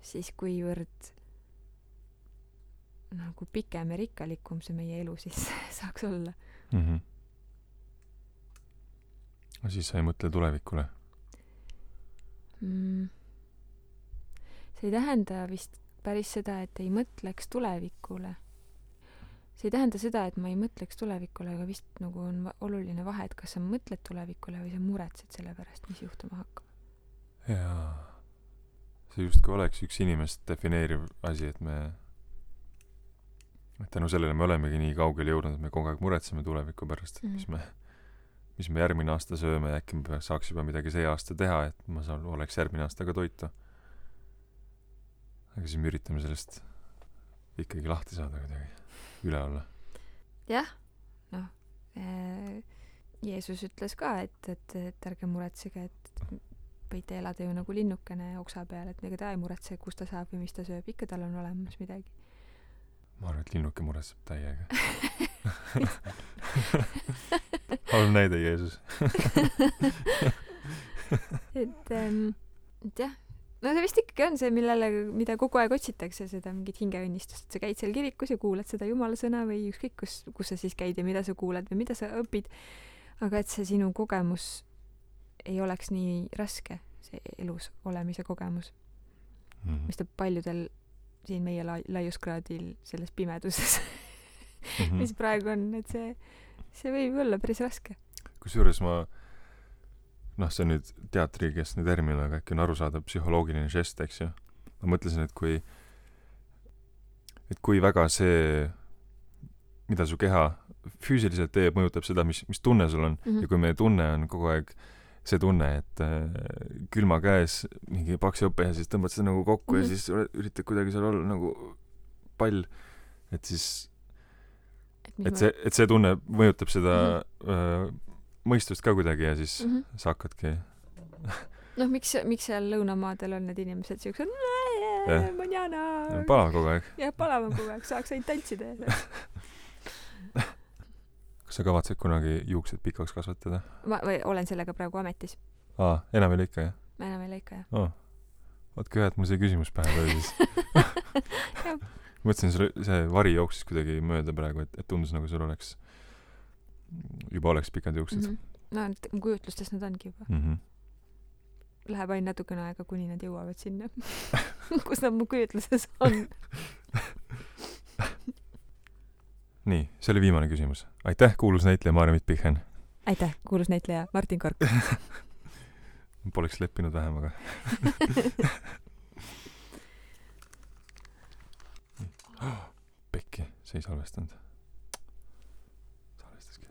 siis kuivõrd nagu pikem ja rikkalikum see meie elu siis saaks olla. Siis sa ei mõtle tulevikule? See ei tähenda vist päris seda, et ei mõtleks tulevikule. See ei tähenda seda, et ma ei mõtleks tulevikule, aga vist nagu on oluline vahe, et kas sa mõtled tulevikule või sa muretsed selle pärast, mis juhtuma hakkab. Jaa. See justkui oleks üks inimest defineeriv asi, et tänu sellele me olemegi nii kaugele jõudnud, et me kogu aeg muretseme tuleviku pärast, mis me järgmine aasta sööme ja äkki me saaks juba midagi see aasta teha, et ma oleks järgmine aasta ka toitu. Aga siis me üritame sellest ikkagi lahti saada kuidagi, üle olla. Jah, Jeesus ütles ka, et ärge muretsege, et võite elada ju nagu linnukene oksa peal, et ega ta ei muretse, kus ta saab või mis ta sööb, ikka tal on olemas midagi. Ma arvan, et linnuke muretseb täiega. Halb näide, Jeesus. et jah, see vist ikkagi on see, mida kogu aeg otsitakse, seda mingit hingeõnnistust, et sa käid seal kirikus ja kuulad seda Jumala sõna või ükskõik, kus sa siis käid ja mida sa kuulad või mida sa õpid, aga et see sinu kogemus ei oleks nii raske, see elus olemise kogemus, mis ta paljudel siin meie laiuskraadil selles pimeduses, mis praegu on, et see võib olla päris raske. Kusjuures see on nüüd teatrikeskne termin, aga äkki on arusaadav psühholoogiline žest, eks ju. Ma mõtlesin, et kui väga see, mida su keha füüsiliselt teeb, mõjutab seda, mis tunne sul on. Ja kui meie tunne on kogu aeg see tunne, et külma käes mingi paks jope ja siis tõmbad seda nagu kokku ja siis üritad kuidagi seal olla nagu pall, et siis et see tunne mõjutab seda mõistust ka kuidagi ja siis sa hakkadki miks seal lõunamaadel on need inimesed siuksed manjana palav kogu aeg. Jah, palav kogu aeg, saaks ainult tantsida. Kas sa kavatsed kunagi juuksed pikaks kasvatada? Ma olen sellega praegu ametis. Enam ei lõika, jah? Enam ei lõika, jah. Vaatke hea, et mul see küsimus pähe tuli siis. Mõtlesin, see vari jooksis kuidagi mööda praegu, et tundus nagu sul juba oleks pikad juuksed. Mu kujutlustes nad ongi juba. Läheb ainult natukene aega, kuni nad jõuavad sinna, kus nad mu kujutluses on. Nii, see oli viimane küsimus. Aitäh, kuulus näitleja Maarja Mitt-Pichen. Aitäh, kuulus näitleja Martin Kork. Poleks leppinud vähem, aga... Pekki, see ei salvestanud. Salvestaski.